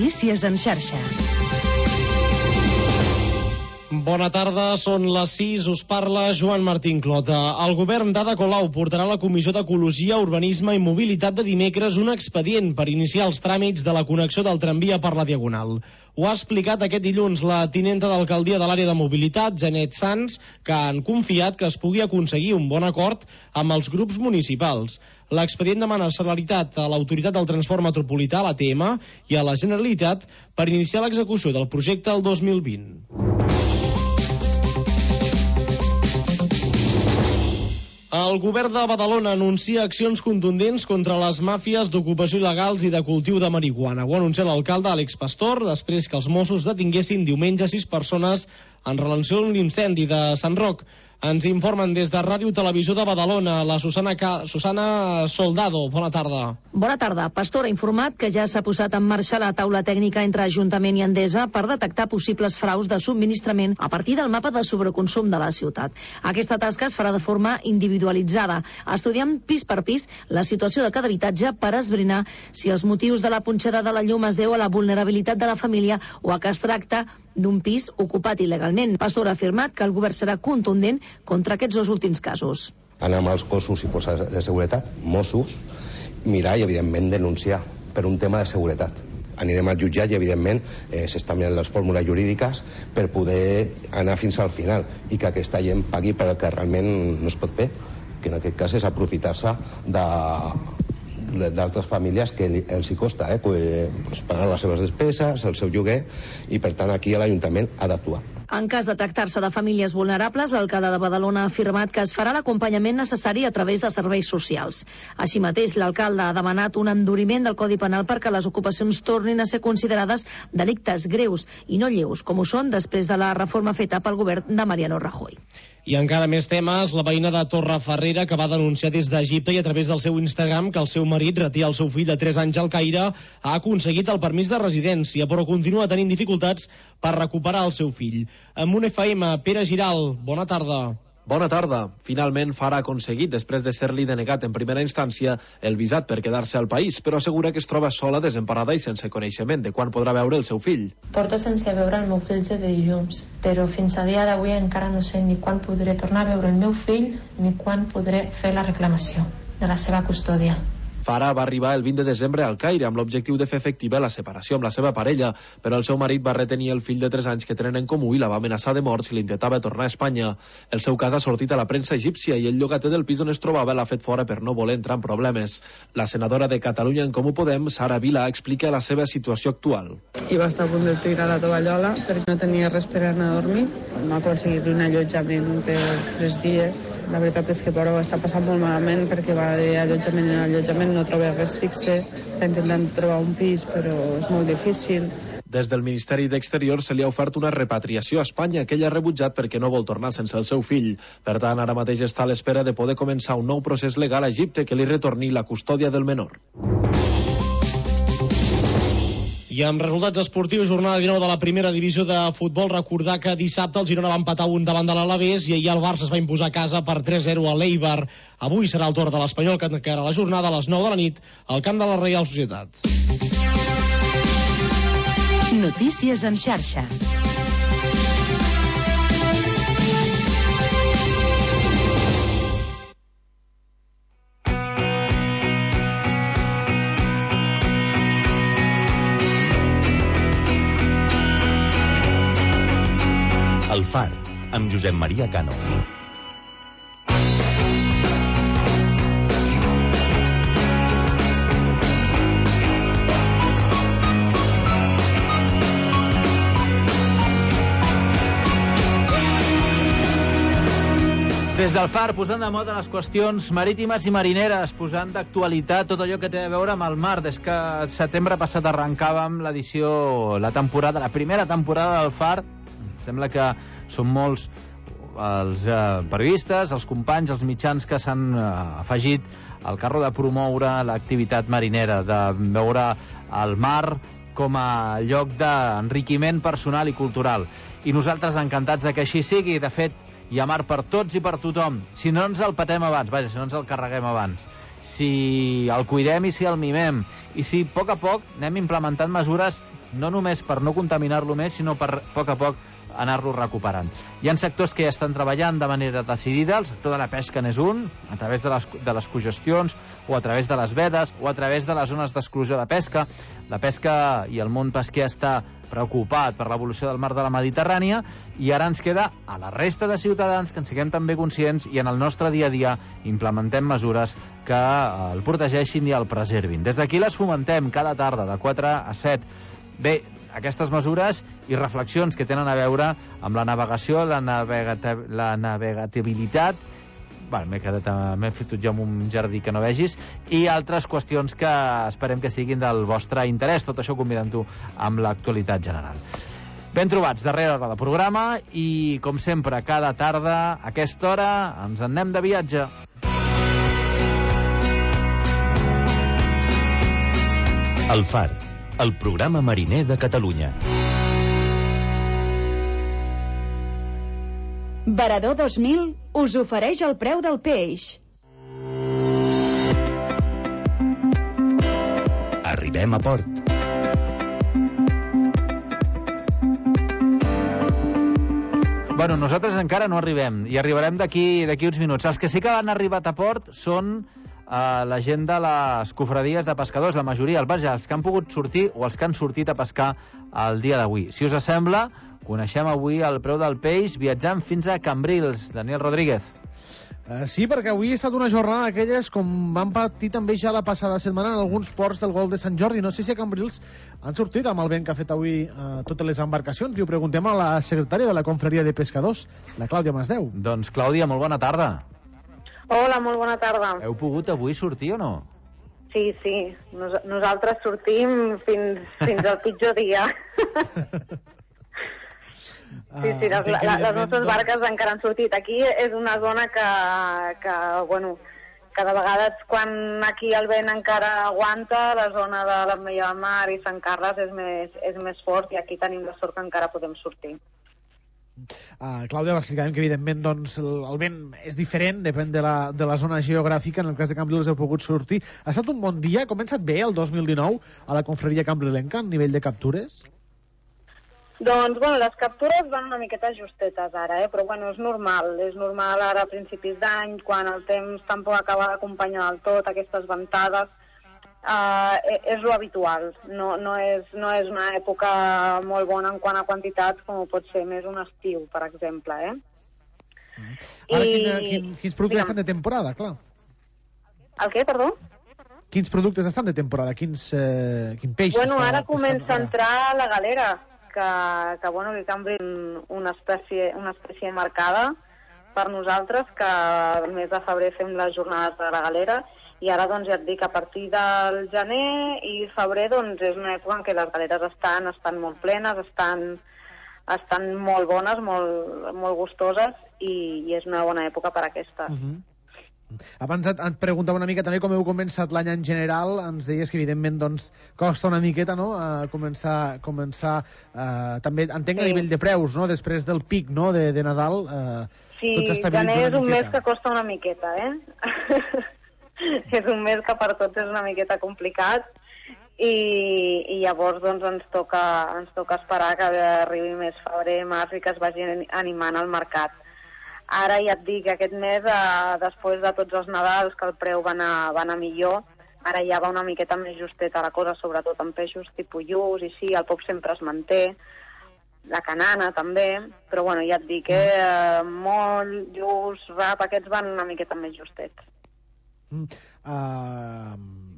Notícies en xarxa. Bona tarda, són les 6, us parla Joan Martín Clota. El govern d'Ada Colau portarà a la Comissió d'Ecologia, Urbanisme i Mobilitat de dimecres un expedient per iniciar els tràmits de la connexió del tramvia per la Diagonal. Ho ha explicat aquest dilluns la tinenta d'alcaldia de l'àrea de mobilitat, Janet Sans, que han confiat que es pugui aconseguir un bon acord amb els grups municipals. L'expedient demana celeritat a l'Autoritat del Transport Metropolità, l'ATM, i a la Generalitat per iniciar l'execució del projecte el 2020. El govern de Badalona anuncia accions contundents contra les màfies d'ocupació il·legals i de cultiu de marihuana. Ho ha anunciat l'alcalde Àlex Pastor després que els Mossos detinguessin diumenge 6 persones en relació amb l'incendi de Sant Roc. Ens informen des de Ràdio Televisió de Badalona, la Susana Soldado. Bona tarda. Bona tarda. Pastor ha informat que ja s'ha posat en marxa la taula tècnica entre Ajuntament i Endesa per detectar possibles fraus de subministrament a partir del mapa de sobreconsum de la ciutat. Aquesta tasca es farà de forma individualitzada, estudiant pis per pis la situació de cada habitatge per esbrinar si els motius de la punxada de la llum es deu a la vulnerabilitat de la família o a que es tracta d'un pis ocupat il·legalment. Pastor ha afirmat que el govern serà contundent contra aquests dos últims casos. Anar amb els cossos i forces de seguretat, Mossos, mirar i, evidentment, denunciar per un tema de seguretat. Anirem al jutjat i, evidentment, s'estan mirant les fórmules jurídiques per poder anar fins al final i que aquesta gent pagui per el que realment no es pot fer, que en aquest cas és aprofitar-se d'altres famílies que els hi costa pagar les seves despeses, el seu lloguer, i per tant aquí l'Ajuntament ha d'actuar. En cas de tractar-se de famílies vulnerables, l'alcalde de Badalona ha afirmat que es farà l'acompanyament necessari a través de serveis socials. Així mateix, l'alcalde ha demanat un enduriment del Codi Penal perquè les ocupacions tornin a ser considerades delictes greus i no lleus, com ho són després de la reforma feta pel govern de Mariano Rajoy. I encara més temes, la veïna de Torrefarrera, que va denunciar des d'Egipte i a través del seu Instagram que el seu marit retia el seu fill de 3 anys al Caire, ha aconseguit el permís de residència, però continua tenint dificultats per recuperar el seu fill. Amb un FM, Pere Giral, bona tarda. Bona tarda. Finalment Fara ha aconseguit, després de ser-li denegat en primera instància, el visat per quedar-se al país, però assegura que es troba sola, desemparada i sense coneixement de quan podrà veure el seu fill. Porto sense veure el meu fill de dilluns, però fins a dia d'avui encara no sé ni quan podré tornar a veure el meu fill ni quan podré fer la reclamació de la seva custòdia. Fara va arribar el 20 de desembre al Caire amb l'objectiu de fer efectiva la separació amb la seva parella, però el seu marit va retenir el fill de 3 anys que tenen en comú i la va amenaçar de mort si l'intentava tornar a Espanya. El seu cas ha sortit a la premsa egípcia i el llogater del pis on es trobava l'ha fet fora per no voler entrar en problemes. La senadora de Catalunya en Comú Podem, Sara Vila, explica la seva situació actual. I va estar a punt de tirar la tovallola perquè no tenia res per anar a dormir. No ha aconseguit un allotjament per 3 dies. La veritat és que però ho està passant molt malament perquè va d'allotjament en allotjament, no troba res fixe, està intentant trobar un pis però és molt difícil. Des del Ministeri d'Exterior se li ha ofert una repatriació a Espanya que ell ha rebutjat perquè no vol tornar sense el seu fill. Per tant, ara mateix està a l'espera de poder començar un nou procés legal a Egipte que li retorni la custòdia del menor. I amb resultats esportius, jornada 19 de la primera divisió de futbol, recordar que dissabte el Girona va empatar 1 davant de l'Alavés i ahir el Barça es va imposar a casa per 3-0 a l'Eibar. Avui serà el torn de l'Espanyol, que encara la jornada a les 9 de la nit al camp de la Reial Societat. Notícies en xarxa. El Far, amb Josep Maria Cano. Des del Far, posant de moda les qüestions marítimes i marineres, posant d'actualitat tot allò que té a veure amb el mar. Des que el setembre passat arrencàvem la primera temporada del Far. Sembla que són molts els periodistes, els companys, els mitjans que s'han afegit al carro de promoure l'activitat marinera, de veure el mar com a lloc d'enriquiment personal i cultural. I nosaltres encantats de que així sigui. De fet, hi ha mar per tots i per tothom, si no ens el patem abans, si no ens el carreguem abans. si el cuidem i si el mimem, i si a poc anem implementant mesures no només per no contaminar-lo més, sinó per a poc anar-lo recuperant. Hi ha sectors que ja estan treballant de manera decidida, el sector de la pesca n'és un, a través de les cogestions, o a través de les vedes, o a través de les zones d'exclusió de pesca. La pesca i el món pesquer està preocupat per l'evolució del mar de la Mediterrània, i ara ens queda a la resta de ciutadans que en siguem també conscients i en el nostre dia a dia implementem mesures que el protegeixin i el preservin. Des d'aquí les fomentem cada tarda de 4 a 7. Bé, aquestes mesures i reflexions que tenen a veure amb la navegació, la navegabilitat, m'he fotut jo en un jardí que no vegis, i altres qüestions que esperem que siguin del vostre interès. Tot això convidant-ho amb l'actualitat general. Ben trobats, darrera hora de programa, i com sempre, cada tarda, a aquesta hora, ens en anem de viatge. El Far, el programa mariner de Catalunya. Varador 2000 us ofereix el preu del peix. Arribem a port. Bueno, nosaltres encara no arribem, i arribarem d'aquí uns minuts. Els que sí que han arribat a port són la gent de les cofradies de pescadors, la majoria, els que han pogut sortir o els que han sortit a pescar el dia d'avui. Si us sembla, coneixem avui el preu del peix viatjant fins a Cambrils. Daniel Rodríguez. Sí, perquè avui ha estat una jornada d'aquelles com van patir també ja la passada setmana en alguns ports del Golf de Sant Jordi. No sé si a Cambrils han sortit amb el vent que ha fet avui totes les embarcacions. I ho preguntem a la secretària de la Confraria de Pescadors, la Clàudia Masdeu. Doncs, Clàudia, molt bona tarda. Hola, molt bona tarda. Heu pogut avui sortir o no? Sí. Nosaltres sortim fins al pitjor dia. Sí, les nostres barques encara han sortit. Aquí és una zona que de vegades quan aquí el vent encara aguanta, la zona de l'Ametlla de Mar i Sant Carles és més fort, i aquí tenim la sort que encara podem sortir. Clàudia, explicàvem que evidentment doncs, el vent és diferent, depèn de la zona geogràfica. En el cas de Cambrils heu pogut sortir. Ha estat un bon dia? Ha començat bé el 2019 a la confraria cambrilenca a nivell de captures? Doncs, les captures van una miqueta justetes ara, però és normal ara a principis d'any, quan el temps tampoc acaba d'acompanyar del tot aquestes ventades. És lo habitual, no és una època molt bona en quant a quantitats com pot ser més un estiu, per exemple. Ara, quins productes estan de temporada, clar? El què, perdó? Quins productes estan de temporada? Quin peix? Ara comença a entrar la galera, que canvia una espècie marcada per nosaltres, que el mes de febrer fem les jornades de la galera. I ara, ja et dic, a partir del gener i febrer, és una època en què les galeres estan molt plenes, estan molt bones, molt gustoses, i és una bona època per a aquestes. Abans et preguntava una mica també com heu començat l'any en general. Ens deies que evidentment costa una miqueta, no?, començar també, entenc, a nivell de preus, no?, després del pic, no?, de Nadal. Sí, gener és un mes que costa una miqueta, és un mes que per tots és una miqueta complicat, i llavors ens toca esperar que arribi més febrer, març, i que es vagi animant el mercat. Ara ja et dic, aquest mes, després de tots els Nadals, que el preu va anar millor, ara ja va una miqueta més justeta la cosa, sobretot en peixos tipus lluç, i sí, el pop sempre es manté, la canana també, però ja et dic, moll, lluç, rap, aquests van una miqueta més justets.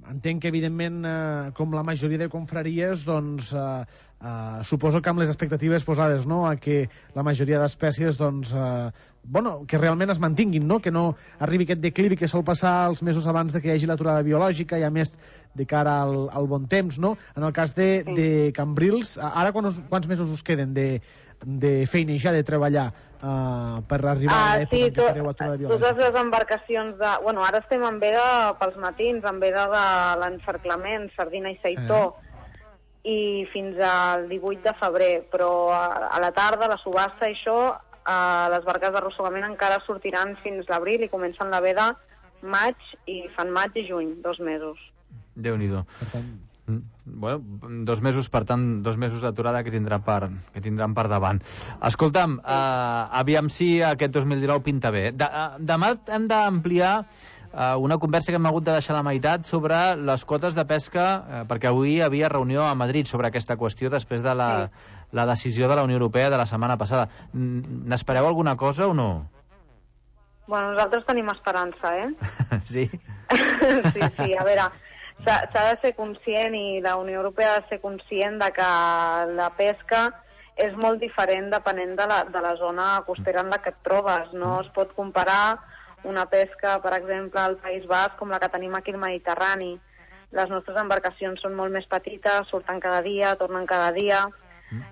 Entenc que evidentment com la majoria de confraries suposo que amb les expectatives posades, no?, a que la majoria d'espècies que realment es mantinguin, no?, que no arribi aquest declivi que sol passar els mesos abans de que hi hagi l'aturada biològica, i a més de cara al bon temps, no? En el cas de Cambrils, ara quants mesos us queden de feinejar, de treballar per arribar a l'època en què fareu aturada biològica? Totes les embarcacions ara estem en veda pels matins, en veda de l'encerclament, sardina i seitó, i fins al 18 de febrer, però a la tarda, la subhasta i això, les barques d'arrossegament encara sortiran fins l'abril i comencen la veda maig i fan maig i juny, 2 mesos. Déu-n'hi-do. Bueno, 2 mesos, per tant, 2 mesos d'aturada que tindran per davant. Escolta'm, aviam si aquest 2019 pinta bé. Demà hem d'ampliar una conversa que hem hagut de deixar a la meitat sobre les quotes de pesca, perquè avui hi havia reunió a Madrid sobre aquesta qüestió després de la decisió de la Unió Europea de la setmana passada. N'espereu alguna cosa o no? Bueno, nosaltres tenim esperança, Sí? Sí, a veure, s'ha de ser conscient i la Unió Europea ha de ser conscient de que la pesca és molt diferent depenent de la zona costera en la que et trobes. No es pot comparar una pesca, per exemple, al País Basc com la que tenim aquí al Mediterrani. Les nostres embarcacions són molt més petites, surten cada dia, tornen cada dia.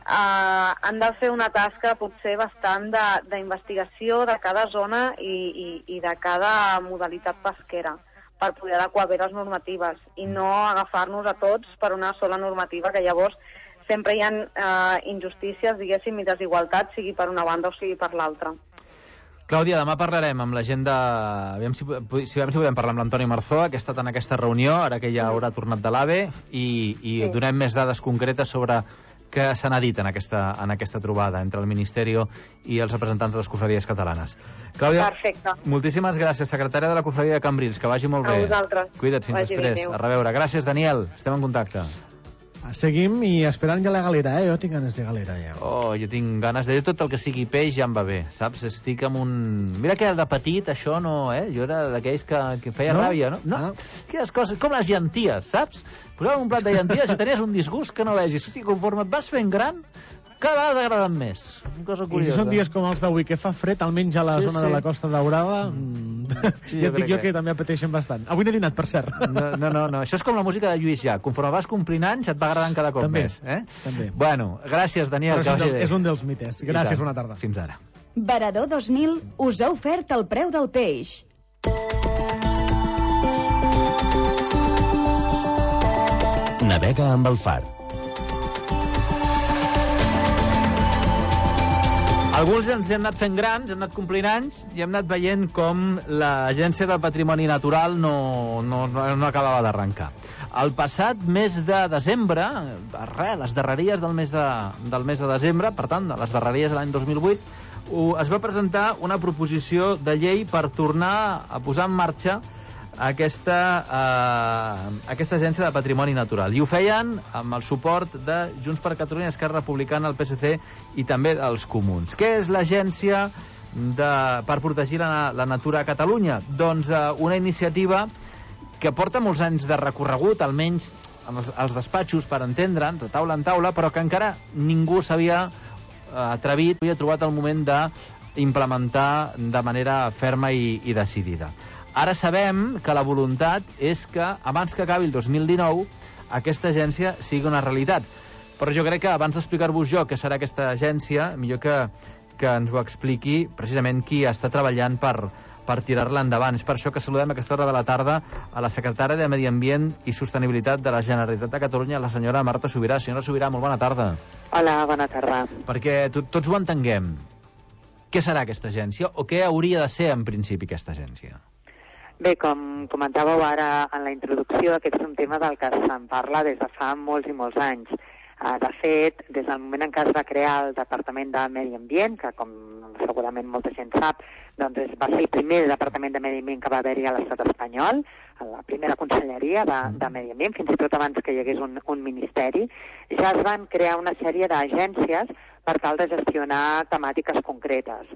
Han de fer una tasca potser bastant d'investigació de cada zona i de cada modalitat pesquera per poder adequar bé les normatives i no agafar-nos a tots per una sola normativa, que llavors sempre hi ha injustícies, diguéssim, i desigualtats, sigui per una banda o sigui per l'altra. Clàudia, demà parlarem amb la gent de... Aviam si podem parlar amb l'Antoni Marzó, que ha estat en aquesta reunió, ara que ja haurà tornat de l'AVE, i donem més dades concretes sobre què se n'ha dit en aquesta trobada entre el Ministeri i els representants de les cofradies catalanes. Clàudia, perfecte. Moltíssimes gràcies, secretària de la cofradia de Cambrils, que vagi molt bé. A vosaltres. Cuida't, fins després. A reveure. Gràcies, Daniel. Estem en contacte. Seguim i esperant ja la galera, Jo tinc ganes de galera, ja. Oh, jo tinc ganes de... Tot el que sigui peix ja em va bé, saps? Estic amb un... Mira que de petit això no, Jo era d'aquells que feia ràbia, no? No, aquelles coses, com les llenties, saps? Posàvem un plat de llenties i tenies un disgust que no vegis. Hosti, conforme et vas fent gran, cada vegada t'agraden més. Una cosa curiosa. I si són dies com els d'avui, que fa fred, almenys a la zona de la Costa Daurada, ja et dic jo que també apeteixen bastant. Avui n'he dinat, per cert. No. Això és com la música de Lluís Llach. Conforme vas complint anys, et va agradant cada cop més. També. Bueno, gràcies, Daniel. És un dels mites. Gràcies, bona tarda. Fins ara. Varador 2000 us ha ofert el preu del peix. Navega amb el Far. Alguns ens hem anat fent grans, hem anat complint anys i hem anat veient com l'Agència del Patrimoni Natural no acabava d'arrencar. El passat mes de desembre, les darreries del mes de desembre, per tant, les darreries de l'any 2008, es va presentar una proposició de llei per tornar a posar en marxa aquesta agència de patrimoni natural. I ho feien amb el suport de Junts per Catalunya, Esquerra Republicana, el PSC i també els Comuns. Què és l'agència per protegir la natura a Catalunya? Doncs una iniciativa que porta molts anys de recorregut, almenys als despatxos, per entendre'ns, de taula en taula, però que encara ningú s'havia atrevit, havia trobat el moment d'implementar de manera ferma i decidida. Ara sabem que la voluntat és que abans que acabi el 2019 aquesta agència sigui una realitat. Però jo crec que abans d'explicar-vos jo què serà aquesta agència, millor que ens ho expliqui precisament qui està treballant per tirar-la endavant. És per això que saludem a aquesta hora de la tarda a la secretària de Medi Ambient i Sostenibilitat de la Generalitat de Catalunya, la senyora Marta Subirà. Senyora Subirà, molt bona tarda. Hola, bona tarda. Perquè tots ho entenguem. Què serà aquesta agència o què hauria de ser en principi aquesta agència? Bé, com comentàveu ara en la introducció, aquest és un tema del que se'n parla des de fa molts i molts anys. De fet, des del moment en què es va crear el Departament de Medi Ambient, que com segurament molta gent sap, doncs va ser el primer Departament de Medi Ambient que va haver-hi a l'estat espanyol, a la primera conselleria de Medi Ambient, fins i tot abans que hi hagués un ministeri, ja es van crear una sèrie d'agències per tal de gestionar temàtiques concretes.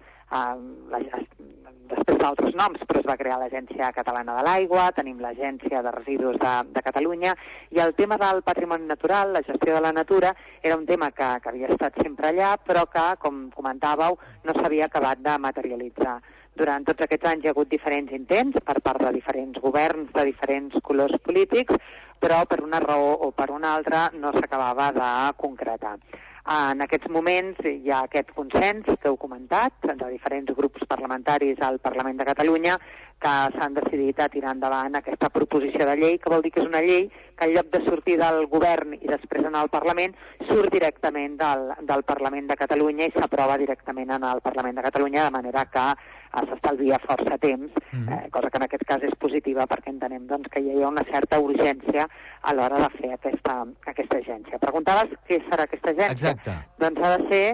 Després d'altres noms, però es va crear l'Agència Catalana de l'Aigua, tenim l'Agència de Residus de Catalunya, i el tema del patrimoni natural, la gestió de la natura, era un tema que havia estat sempre allà, però que, com comentàveu, no s'havia acabat de materialitzar. Durant tots aquests anys hi ha hagut diferents intents per part de diferents governs de diferents colors polítics, però per una raó o per una altra no s'acabava de concretar. En aquests moments hi ha aquest consens que heu comentat, de diferents grups parlamentaris al Parlament de Catalunya, que s'han decidit a tirar endavant aquesta proposició de llei, que vol dir que és una llei que en lloc de sortir del govern i després anar al Parlament, surt directament del Parlament de Catalunya i s'aprova directament en el Parlament de Catalunya, de manera que s'estalvia força temps, cosa que en aquest cas és positiva perquè entenem doncs, que hi ha una certa urgència a l'hora de fer aquesta agència. Preguntaves què serà aquesta agència? Exacte. Doncs ha de ser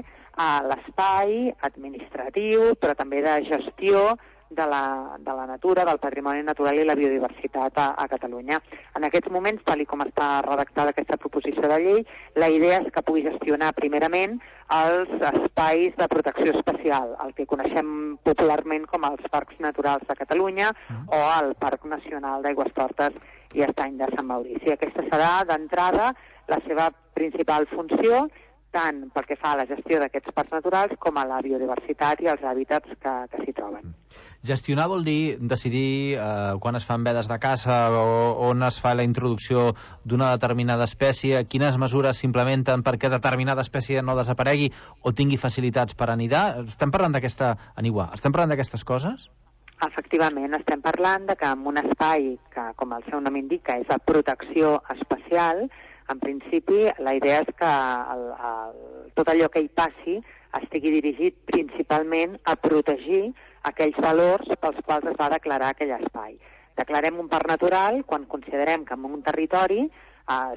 l'espai administratiu, però també de gestió de la natura, del patrimoni natural i la biodiversitat a Catalunya. En aquests moments, tal com està redactada aquesta proposició de llei, la idea és que pugui gestionar primerament els espais de protecció especial, el que coneixem popularment com els parcs naturals de Catalunya o el Parc Nacional d'Aigüestortes i Estany de Sant Maurici. Aquesta serà, d'entrada, la seva principal funció, tant pel que fa a la gestió d'aquests parcs naturals com a la biodiversitat i els hàbitats que s'hi troben. Gestionar vol dir decidir quan es fan vedes de caça o on es fa la introducció d'una determinada espècie, quines mesures s'implementen perquè determinada espècie no desaparegui o tingui facilitats per anidar. Estem parlant d'aquestes coses? Efectivament, estem parlant de que en un espai que, com el seu nom indica, és de protecció especial, en principi la idea és que tot allò que hi passi estigui dirigit principalment a protegir aquells valors pels quals es va declarar aquell espai. Declarem un parc natural quan considerem que en un territori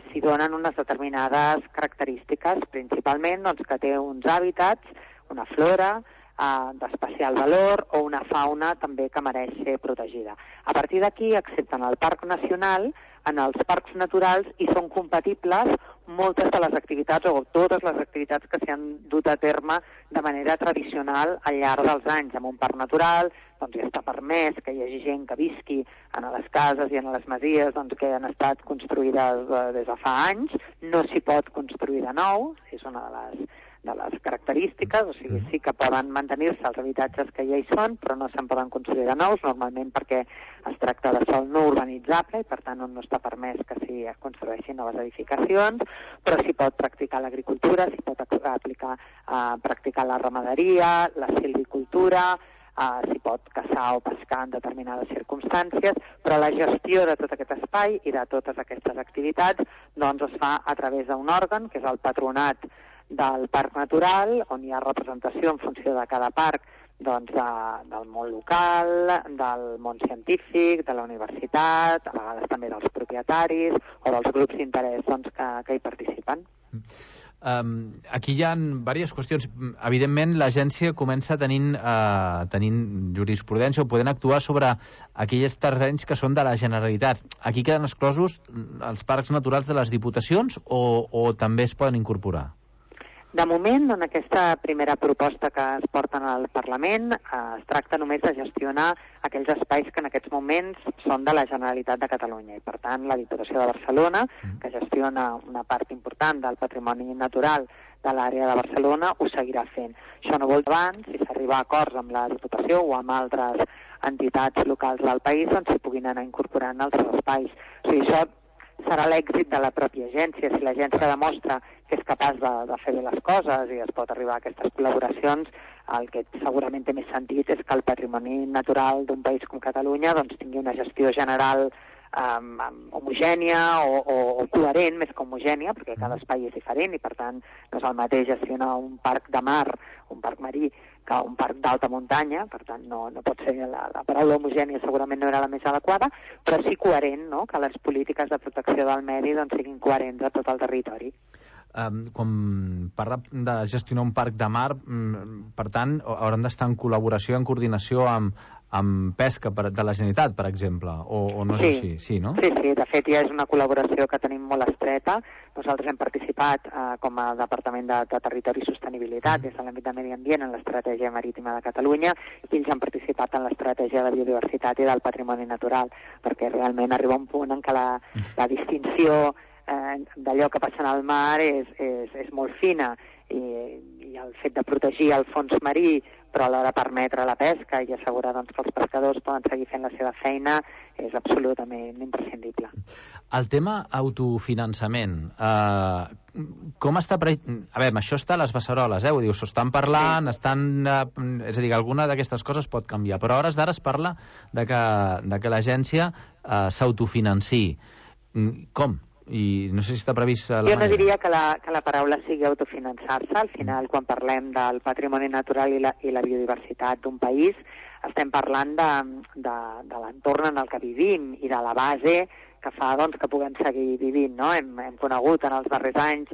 s'hi donen unes determinades característiques, principalment doncs, que té uns hàbitats, una flora d'especial valor o una fauna també que mereix ser protegida. A partir d'aquí, excepte en el Parc Nacional, en els parcs naturals hi són compatibles moltes de les activitats o totes les activitats que s'han dut a terme de manera tradicional al llarg dels anys. En un parc natural doncs ja està permès que hi hagi gent que visqui en les cases i en les masies doncs, que han estat construïdes des de fa anys. No s'hi pot construir de nou, és una de les característiques, o sigui, sí que poden mantenir-se els habitatges que ja hi són, però no se'n poden construir de nous, normalment perquè es tracta de sòl no urbanitzable i per tant no està permès que s'hi construeixin noves edificacions, però s'hi pot practicar l'agricultura, s'hi pot practicar la ramaderia, la silvicultura, s'hi pot caçar o pescar en determinades circumstàncies, però la gestió de tot aquest espai i de totes aquestes activitats doncs es fa a través d'un òrgan, que és el Patronat del Parc Natural, on hi ha representació en funció de cada parc doncs, del món local, del món científic, de la universitat, a vegades també dels propietaris o dels grups d'interès doncs, que hi participen. Aquí hi ha diverses qüestions. Evidentment, l'agència comença tenint jurisprudència o podent actuar sobre aquells terrenys que són de la Generalitat. Aquí queden exclosos els parcs naturals de les diputacions o també es poden incorporar? De moment, en aquesta primera proposta que es porta al Parlament, es tracta només de gestionar aquells espais que en aquests moments són de la Generalitat de Catalunya. I, per tant, la Diputació de Barcelona, que gestiona una part important del patrimoni natural de l'àrea de Barcelona, ho seguirà fent. Això no vol dir abans, si s'arriba a acords amb la Diputació o amb altres entitats locals del país, doncs s'hi puguin anar incorporant altres espais. O sigui, això serà l'èxit de la pròpia agència. Si l'agència demostra que és capaç de fer bé les coses i es pot arribar a aquestes col·laboracions, el que segurament té més sentit és que el patrimoni natural d'un país com Catalunya doncs, tingui una gestió general homogènia o coherent, més que homogènia, perquè cada espai és diferent i, per tant, no és el mateix gestionar un parc de mar, un parc marí, que un parc d'alta muntanya, per tant, no pot ser la paraula homogènia segurament no era la més adequada, però sí coherent, no?, que les polítiques de protecció del medi doncs, siguin coherents a tot el territori. Quan parla de gestionar un parc de mar, per tant, hauran d'estar en col·laboració, en coordinació amb pesca de la Generalitat, per exemple, o no és així? Sí, no? Sí, de fet ja és una col·laboració que tenim molt estreta. Nosaltres hem participat com a Departament de Territori i Sostenibilitat des de l'àmbit de Medi Ambient en l'Estratègia Marítima de Catalunya i ells han participat en l'Estratègia de Biodiversitat i del Patrimoni Natural, perquè realment arriba un punt en què la distinció d'allò que passa al mar és molt fina i el fet de protegir el fons marí, però alhora permetre la pesca i assegurar que els pescadors poden seguir fent la seva feina és absolutament imprescindible. El tema autofinançament, com està... A veure, això està a les beceroles, ho dius, s'ho estan parlant, és a dir, alguna d'aquestes coses pot canviar, però a hores d'ara es parla de que l'agència s'autofinanci. Com? I no sé si està previst la manera. Jo no diria que la paraula sigui autofinançar-se. Al final, quan parlem del patrimoni natural i la biodiversitat d'un país, estem parlant de l'entorn en el que vivim i de la base que fa que puguem seguir vivint, no? Hem conegut en els darrers anys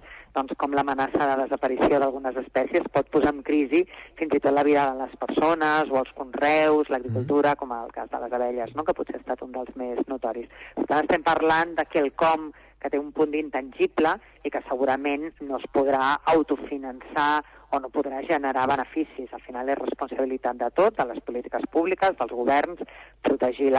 com l'amenaça de desaparició d'algunes espècies pot posar en crisi fins i tot la vida de les persones o els conreus, l'agricultura, com el cas de les abelles, no? Que potser ha estat un dels més notoris. Per tant, estem parlant de quelcom que té un punt d'intangible i que segurament no es podrà autofinançar o no podrà generar beneficis. Al final és responsabilitat de tot, de les polítiques públiques, dels governs, protegir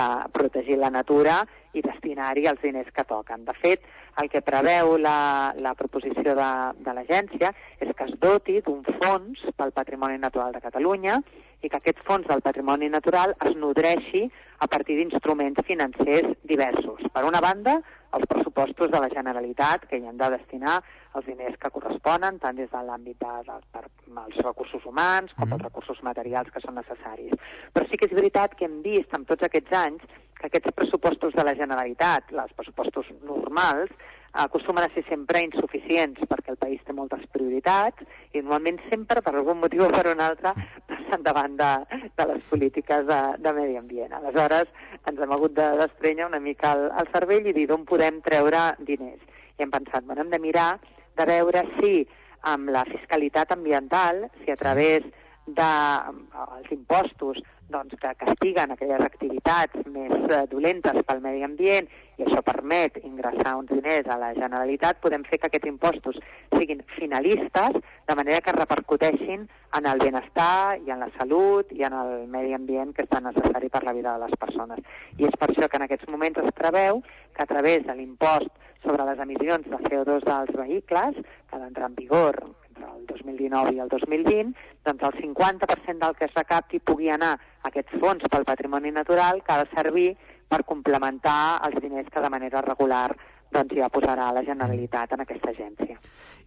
la natura i destinar-hi els diners que toquen. De fet, el que preveu la proposició de l'agència és que es doti d'un fons pel patrimoni natural de Catalunya i que aquest fons del patrimoni natural es nodreixi a partir d'instruments financers diversos. Per una banda, els pressupostos de la Generalitat, que hi han de destinar els diners que corresponen, tant des de l'àmbit dels recursos humans com els recursos materials que són necessaris. Però sí que és veritat que hem vist en tots aquests anys que aquests pressupostos de la Generalitat, els pressupostos normals, acostumen a ser sempre insuficients perquè el país té moltes prioritats i normalment sempre, per algun motiu o per un altre, passen davant de les polítiques de medi ambient. Aleshores, ens hem hagut de desprènyer una mica el cervell i dir d'on podem treure diners. I hem pensat, hem de mirar de veure si amb la fiscalitat ambiental, si a través dels impostos que castiguen aquelles activitats més dolentes pel medi ambient i això permet ingressar uns diners a la Generalitat, podem fer que aquests impostos siguin finalistes de manera que repercuteixin en el benestar i en la salut i en el medi ambient que és tan necessari per la vida de les persones. I és per això que en aquests moments es preveu que a través de l'impost sobre les emissions de CO2 dels vehicles, que ha d'entrar en vigor entre el 2019 i el 2020, doncs el 50% del que es recapti pugui anar a aquest fons pel patrimoni natural que ha de servir per complementar els diners que de manera regular ja posarà la Generalitat en aquesta agència.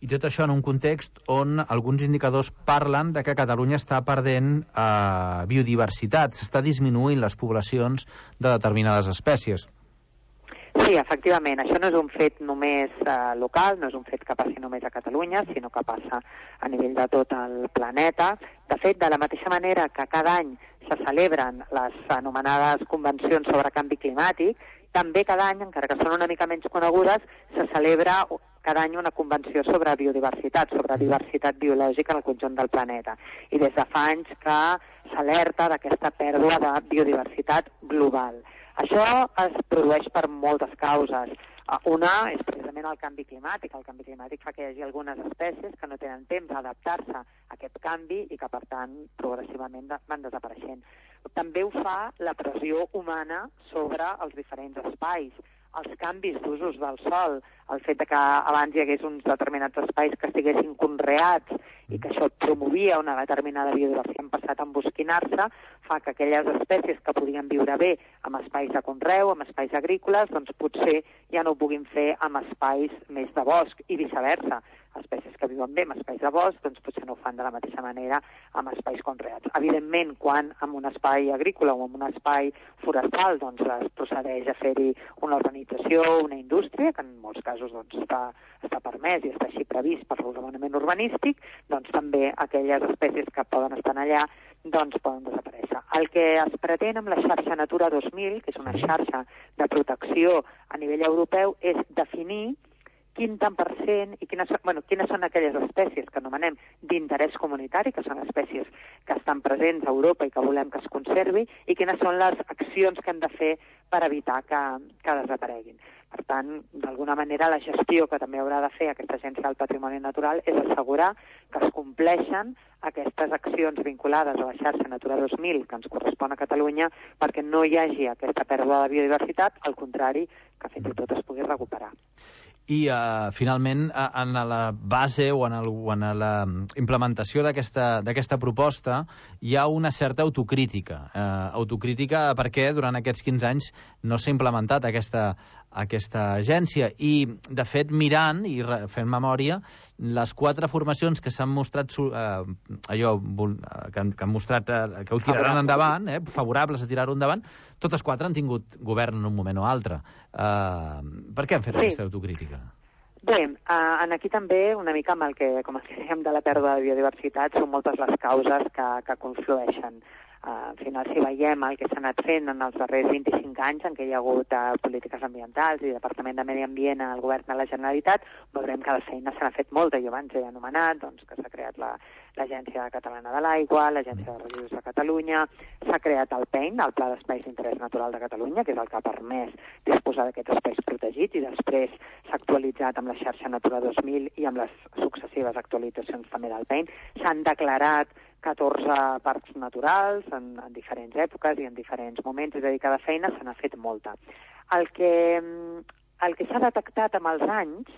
I tot això en un context on alguns indicadors parlen de que Catalunya està perdent biodiversitat, s'està disminuint les poblacions de determinades espècies. Sí, efectivament, això no és un fet només local, no és un fet que passi només a Catalunya, sinó que passa a nivell de tot el planeta. De fet, de la mateixa manera que cada any se celebren les anomenades convencions sobre canvi climàtic, també cada any, encara que són una mica menys conegudes, se celebra cada any una convenció sobre biodiversitat, sobre diversitat biològica en el conjunt del planeta. I des de fa anys que s'alerta d'aquesta pèrdua de biodiversitat global. Això es produeix per moltes causes. Una és precisament el canvi climàtic. El canvi climàtic fa que hi hagi algunes espècies que no tenen temps d'adaptar-se a aquest canvi i que, per tant, progressivament van desapareixent. També ho fa la pressió humana sobre els diferents espais. Els canvis d'usos del sòl, el fet que abans hi hagués uns determinats espais que estiguessin conreats i que això promovia una determinada biodiversitat, han passat a embosquinar-se, fa que aquelles espècies que podien viure bé amb espais de conreu, amb espais agrícoles, doncs potser ja no ho puguin fer amb espais més de bosc i viceversa. Espècies que viuen bé amb espais de bosc, doncs potser no ho fan de la mateixa manera amb espais conreats. Evidentment, quan en un espai agrícola o en un espai forestal doncs es procedeix a fer-hi una urbanització, una indústria, que en molts casos doncs, està permès i està així previst per l'ordenament urbanístic, doncs també aquelles espècies que poden estar allà doncs poden desaparèixer. El que es pretén amb la xarxa Natura 2000, que és una xarxa de protecció a nivell europeu, és definir quin tant per cent i quines són aquelles espècies que anomenem d'interès comunitari, que són espècies que estan presents a Europa i que volem que es conservi, i quines són les accions que hem de fer per evitar que desapareguin. Per tant, d'alguna manera, la gestió que també haurà de fer aquesta agència del patrimoni natural és assegurar que es compleixen aquestes accions vinculades a la xarxa Natura 2000 que ens correspon a Catalunya perquè no hi hagi aquesta pèrdua de biodiversitat, al contrari, que fins i tot es pugui recuperar. I, finalment, en la base o en la implementació d'aquesta proposta hi ha una certa autocrítica. Autocrítica perquè durant aquests 15 anys no s'ha implementat aquesta agència. I, de fet, mirant i fent memòria, les 4 formacions que s'han mostrat que han mostrat que ho tiraran endavant, favorables a tirar-ho endavant, totes 4 han tingut govern en un moment o altre. Per què han fet aquesta autocrítica? Bé, aquí també, una mica amb el que dèiem de la pèrdua de biodiversitat, són moltes les causes que conflueixen. Al final, si veiem el que s'ha anat fent en els darrers 25 anys en què hi ha hagut polítiques ambientals i Departament de Medi Ambient al govern de la Generalitat, veurem que la feina se n'ha fet molta. Jo abans he anomenat que s'ha creat l'Agència Catalana de l'Aigua, l'Agència de Residus de Catalunya, s'ha creat el PEIN, el Pla d'Espais d'Interès Natural de Catalunya, que és el que ha permès disposar d'aquests espais protegits, i després s'ha actualitzat amb la xarxa Natura 2000 i amb les successives actualitzacions també del PEIN. S'han declarat 14 parcs naturals en diferents èpoques i en diferents moments, és a dir, cada feina se n'ha fet molta. El que s'ha detectat amb els anys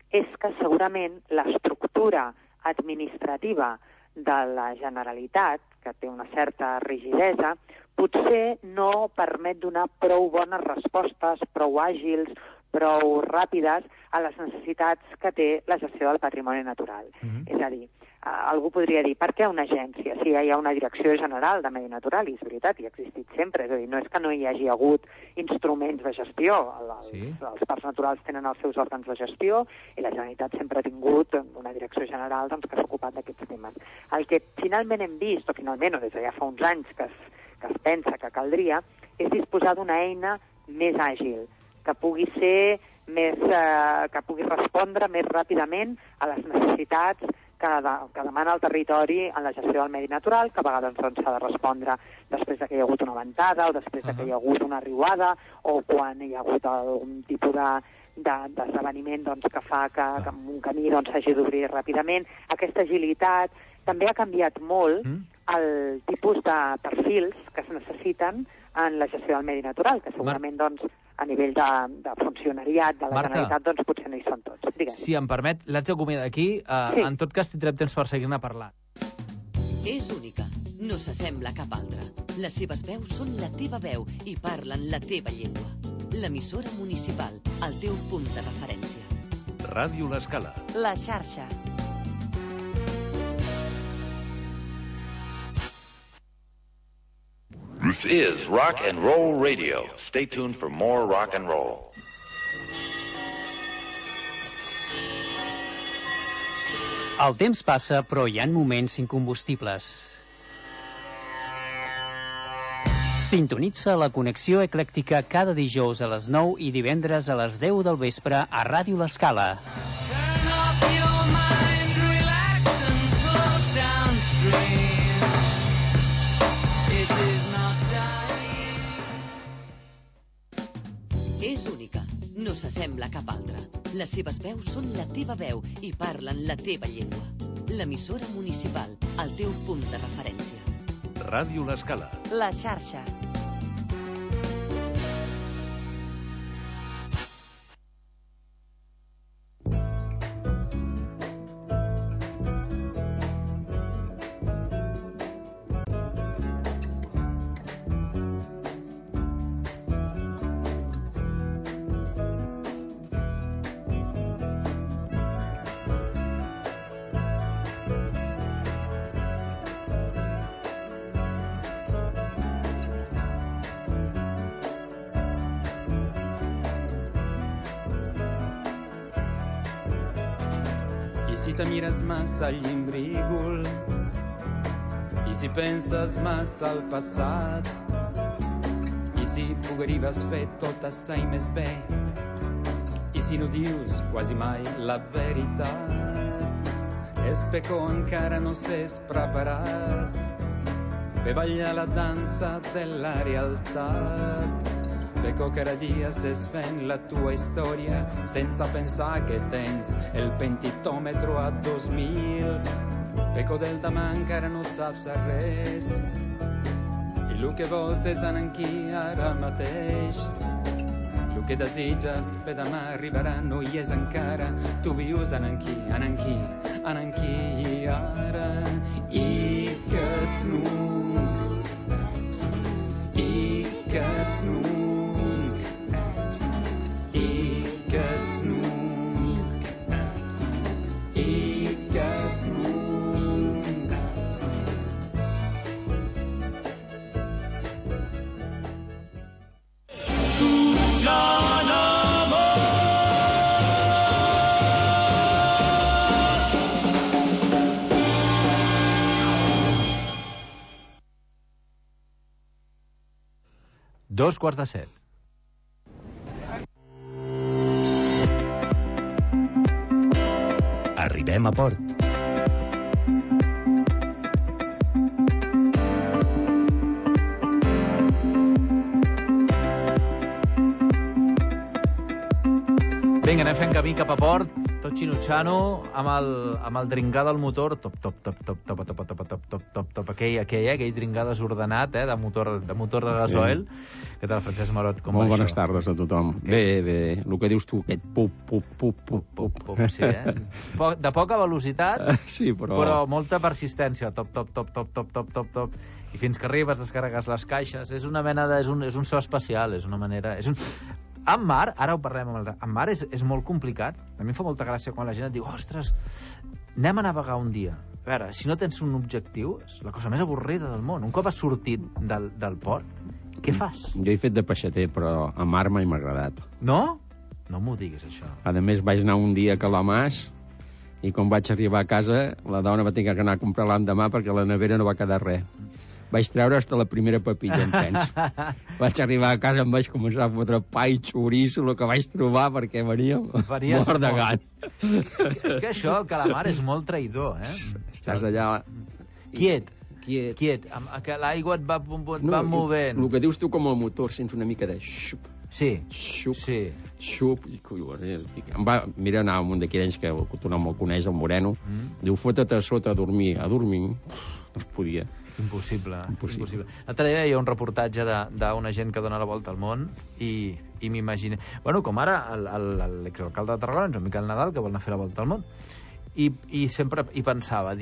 és que segurament l'estructura administrativa de la Generalitat, que té una certa rigidesa, potser no permet donar prou bones respostes, prou àgils, prou ràpides a les necessitats que té la gestió del patrimoni natural. És a dir, algú podria dir, per què una agència? Si hi ha una direcció general de medi natural, i és veritat, i ha existit sempre, és a dir, no és que no hi hagi hagut instruments de gestió, els parcs naturals tenen els seus òrgans de gestió, i la Generalitat sempre ha tingut una direcció general que s'ha ocupat d'aquests temes. El que finalment hem vist, o des de ja fa uns anys que es pensa que caldria, és disposar d'una eina més àgil, que pugui ser que pugui respondre més ràpidament a les necessitats que demana el territori en la gestió del medi natural, que a vegades s'ha de respondre després que hi ha hagut una ventada o després que hi ha hagut una riuada o quan hi ha hagut algun tipus d'esdeveniment que fa que un camí s'hagi d'obrir ràpidament. Aquesta agilitat també ha canviat molt el tipus de perfils que es necessiten en la gestió del medi natural, que segurament a nivell de funcionariat de la Generalitat potser no hi són tots. Digue'm. Si em permet, l'haig d'acomiadar aquí. En tot cas, tindrem temps per seguir-ne parlant. És única, no s'assembla a cap altra. Les seves veus són la teva veu i parlen la teva llengua. L'emissora municipal, el teu punt de referència. Ràdio L'Escala. La xarxa. This is Rock and Roll Radio. Stay tuned for more rock and roll. El temps passa, però hi ha moments incombustibles. Sintonitza la connexió eclèctica cada dijous a les 9 i divendres a les 10 del vespre a Ràdio L'Escala. És única, no s'assembla a cap altra. Les seves veus són la teva veu i parlen la teva llengua. L'emissora municipal, el teu punt de referència. Ràdio L'Escala. La xarxa. Si te mires massa al llímbrígol i si penses massa al passat i si podries fer tot això i més bé i si no dius quasi mai la veritat és perquè encara no s'és preparat per ballar la dansa de la realitat. Perquè cada dia s'és fent la tua història sense pensar que tens el pentitòmetre a 2000. Perquè del demà encara no saps res i el que vols és anar aquí ara mateix. El que desitges per demà arribarà, no hi és encara. Tu vius en aquí, i ara. I que Dos quarts de 7. Arribem a port. Vinga, anem fent camí cap a port, tot xinutxano, amb el dringar del motor, top, aquell dringar desordenat, de motor de gasoil. Què tal, Francesc Marot, com va això? Molt bones tardes a tothom. Bé, el que dius tu, aquest pup. Sí, de poca velocitat, sí, però molta persistència, top. I fins que arribes, descarregues les caixes, és una mena de... És un so especial, és una manera... En mar, ara ho parlem en mar, és molt complicat. A mi em fa molta gràcia quan la gent et diu ostres, anem a navegar un dia. A veure, si no tens un objectiu, és la cosa més avorrida del món. Un cop has sortit del port, què fas? Jo he fet de peixater, però a mar mai m'ha agradat. No? No m'ho diguis, això. A més, vaig anar un dia a Calamàs i quan vaig arribar a casa, la dona va tenir que anar a comprar l'endemà perquè a la nevera no va quedar res. Vaig treure hasta la primera papilla, em penso. Vaig arribar a casa, em vaig començar a fotre pa i xoriço, el que vaig trobar, perquè venia mort de gat. És que això, el calamar, és molt traïdor, Estàs allà... Quiet. Que l'aigua et va movent. El que dius tu com el motor, sents una mica de xup. Sí. Xup. Em va mirar anar a un d'aquells que tu no me'l coneix, el Moreno. Diu, fota't a sota a dormir. No es podia. Impossible. L'altre dia hi ha un reportatge d'una gent que dona la volta al món i m'imagino... Bueno, com ara l'exalcalde de Tarragona, en Miquel Nadal, que vol anar a fer la volta al món. I sempre pensava,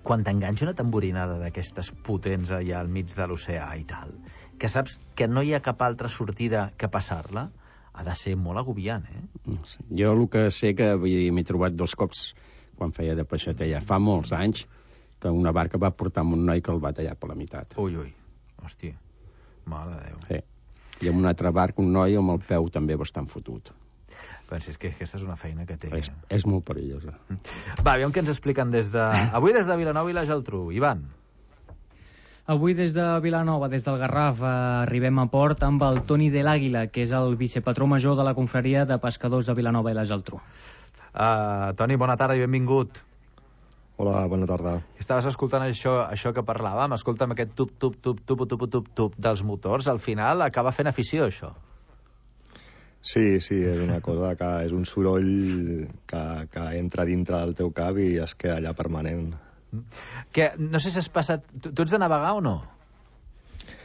quan t'enganxa una tamborinada d'aquestes potents allà al mig de l'oceà i tal, que saps que no hi ha cap altra sortida que passar-la, ha de ser molt agobiant, Jo el que sé que m'he trobat 2 cops quan feia de peixater ja fa molts anys, que una barca va portar amb un noi que el va tallar per la meitat. Ui, hòstia, mare de Déu. Sí. I amb un altre barc, un noi amb el peu també bastant fotut. Doncs és que aquesta és una feina que té. És molt perillosa. Va, aviam què ens expliquen avui des de Vilanova i la Geltrú. Ivan. Avui des de Vilanova, des del Garraf, arribem a port amb el Toni de l'Àguila, que és el vicepatró major de la confraria de pescadors de Vilanova i la Geltrú. Toni, bona tarda i benvingut. Hola, bona tarda. Estaves escoltant això que parlàvem. Escolta'm, aquest tup dels motors, al final acaba fent afició, això. Sí, és una cosa que és un soroll que entra dintre del teu cap i es queda allà permanent. No sé si has passat... Tu ets de navegar o no?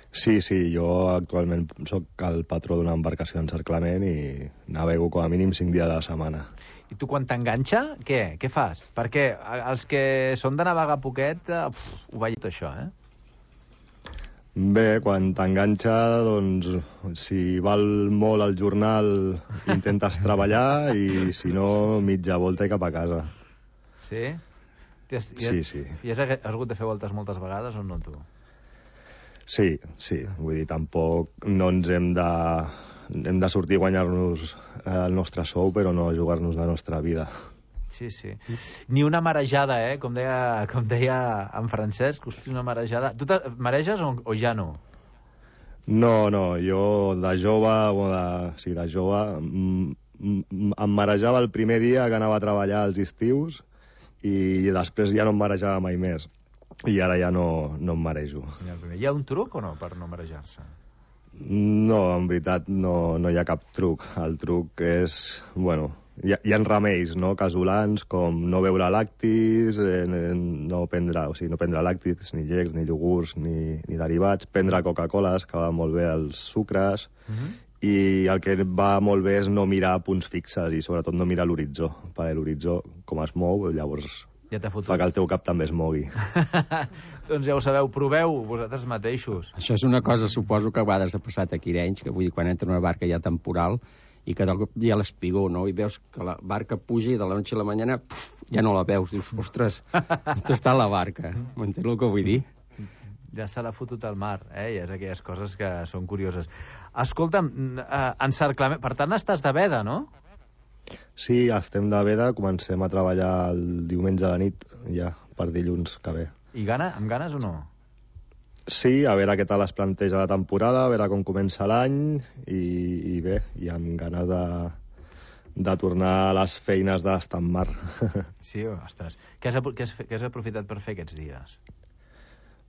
Sí, jo actualment soc el patró d'una embarcació d'encerclament i navego com a mínim 5 dies a la setmana. I tu quan t'enganxa, què fas? Perquè els que són de navegar poquet, ho veig tot això, Bé, quan t'enganxa, doncs, si val molt el jornal, intentes treballar i, si no, mitja volta i cap a casa. Sí? Sí. I has hagut de fer voltes moltes vegades o no, tu? Sí. Vull dir, tampoc no ens hem de sortir a guanyar-nos el nostre sou, però no jugar-nos la nostra vida. Sí. Ni una marejada, com deia en Francesc, hosti, una marejada. Tu mareges o ja no? No, jo de jove em marejava el primer dia que anava a treballar als estius i després ja no em marejava mai més. I ara ja no em marejo. Hi ha un truc o no per no marejar-se? No, en veritat no hi ha cap truc. El truc és, hi ha remeis, casolans, com no beure lactis, no prendre làctics, ni llecs, ni iogurts, ni derivats, prendre Coca-Coles, que va molt bé els sucres, i el que va molt bé és no mirar punts fixes i sobretot no mirar l'horitzó, perquè l'horitzó, com es mou, llavors ja t'ha fotut. Fa que el teu cap també es mogui. Doncs ja ho sabeu, proveu vosaltres mateixos. Això és una cosa, suposo que a vegades ha passat aquí a Arenys, que vull dir, quan entra una barca ja temporal i que del cop hi ha l'espigó, no? I veus que la barca puja i de la noche a la mañana ja no la veus. Dius, ostres, on està la barca? M'entens el que vull dir? Ja se l'ha fotut al mar, i és aquelles coses que són curioses. Escolta'm, encerclament... Per tant, estàs de veda, no? Sí, estem de veda, comencem a treballar el diumenge a la nit, ja, per dilluns que ve. I amb ganes o no? Sí, a veure què tal es planteja la temporada, a veure com comença l'any, i bé, i amb ganes de tornar a les feines d'estar en mar. Sí, ostres. Què has aprofitat per fer aquests dies?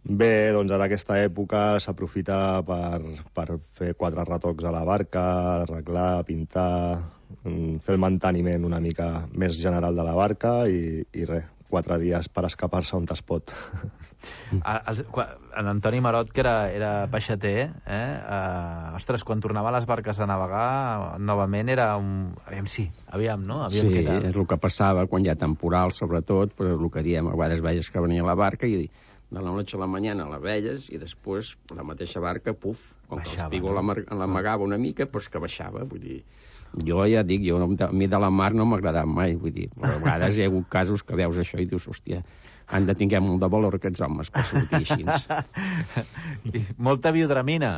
Bé, doncs ara aquesta època s'aprofita per fer 4 retocs a la barca, arreglar, pintar, fer el manteniment una mica més general de la barca i res, 4 dies per escapar-se on es pot. En Antoni Marot, que era peixater, ostres, quan tornava a les barques a navegar, novament era un... Aviam, no? Sí, és el que passava quan hi ha temporal, sobretot, però el que diem, a vegades veies que venia la barca i de la noche a la mañana la veies i després la mateixa barca, puf, com que l'espigó l'amagava una mica, doncs que baixava, vull dir... Jo ja dic, a mi de la mar no m'ha agradat mai, vull dir, però a vegades hi ha hagut casos que veus això i dius, hòstia, han de tinguem molt de valor aquests homes per sortir així. I molta biodramina,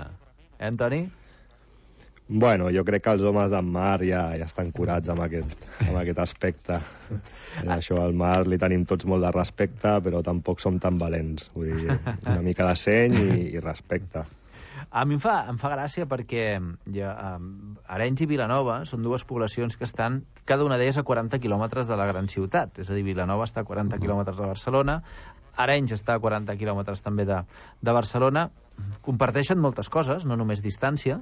Antoni? Bueno, jo crec que els homes del mar ja estan curats amb aquest aspecte. Això al mar li tenim tots molt de respecte, però tampoc som tan valents. Vull dir, una mica de seny i respecte. A mi em fa gràcia perquè Arenys i Vilanova són 2 poblacions que estan, cada una d'elles a 40 quilòmetres de la gran ciutat. És a dir, Vilanova està a 40 quilòmetres de Barcelona, Arenys està a 40 quilòmetres també de Barcelona. Comparteixen moltes coses, no només distància,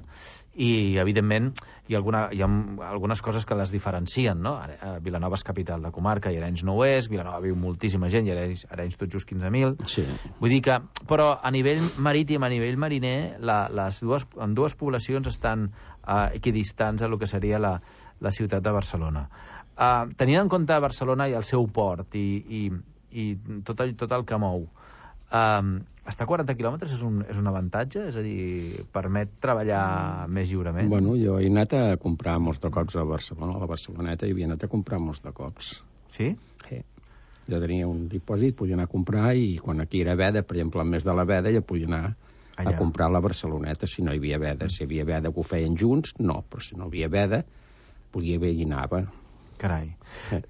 i evidentment hi ha algunes coses que les diferencien, no? Vilanova és capital de comarca i Arenys no ho és, Vilanova viu moltíssima gent i Arenys tot just 15.000. Sí. Vull dir que, però a nivell marítim, a nivell mariner, en 2 poblacions estan equidistants a lo que seria la ciutat de Barcelona. Tenint en compte Barcelona i el seu port i tot el que mou, estar a 40 quilòmetres és un avantatge? És a dir, permet treballar més lliurement? Bueno, jo he anat a comprar molts de cocs a Barcelona, a la Barceloneta, i havia anat a comprar molts de cocs. Sí? Sí. Jo tenia un dipòsit, podia anar a comprar, i quan aquí era veda, per exemple, al mes de la veda, ja podia anar a comprar a la Barceloneta, si no hi havia veda. Si hi havia veda que ho feien junts, no, però si no hi havia veda, podia haver i anava. Carai.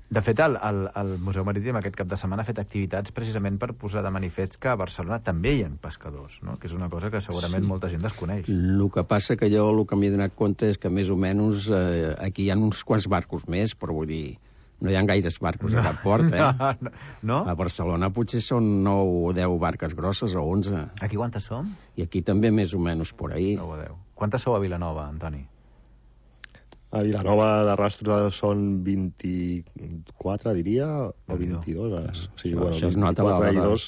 De fet, el Museu Marítim aquest cap de setmana ha fet activitats precisament per posar de manifest que a Barcelona també hi ha pescadors, no? Que és una cosa que segurament molta gent desconeix. El que passa que jo el que m'he donat compte és que més o menys aquí hi ha uns quants barcos més, però vull dir, no hi ha gaires barcos a cap port, No? A Barcelona potser són 9 o 10 barques grosses o 11. Aquí quantes som? I aquí també més o menys por ahí. 9 o 10. Quantes sou a Vilanova, Antoni? A Vilanova de rastros són 24, diria, o 22. Sí, bueno, això es nota 24 i 2,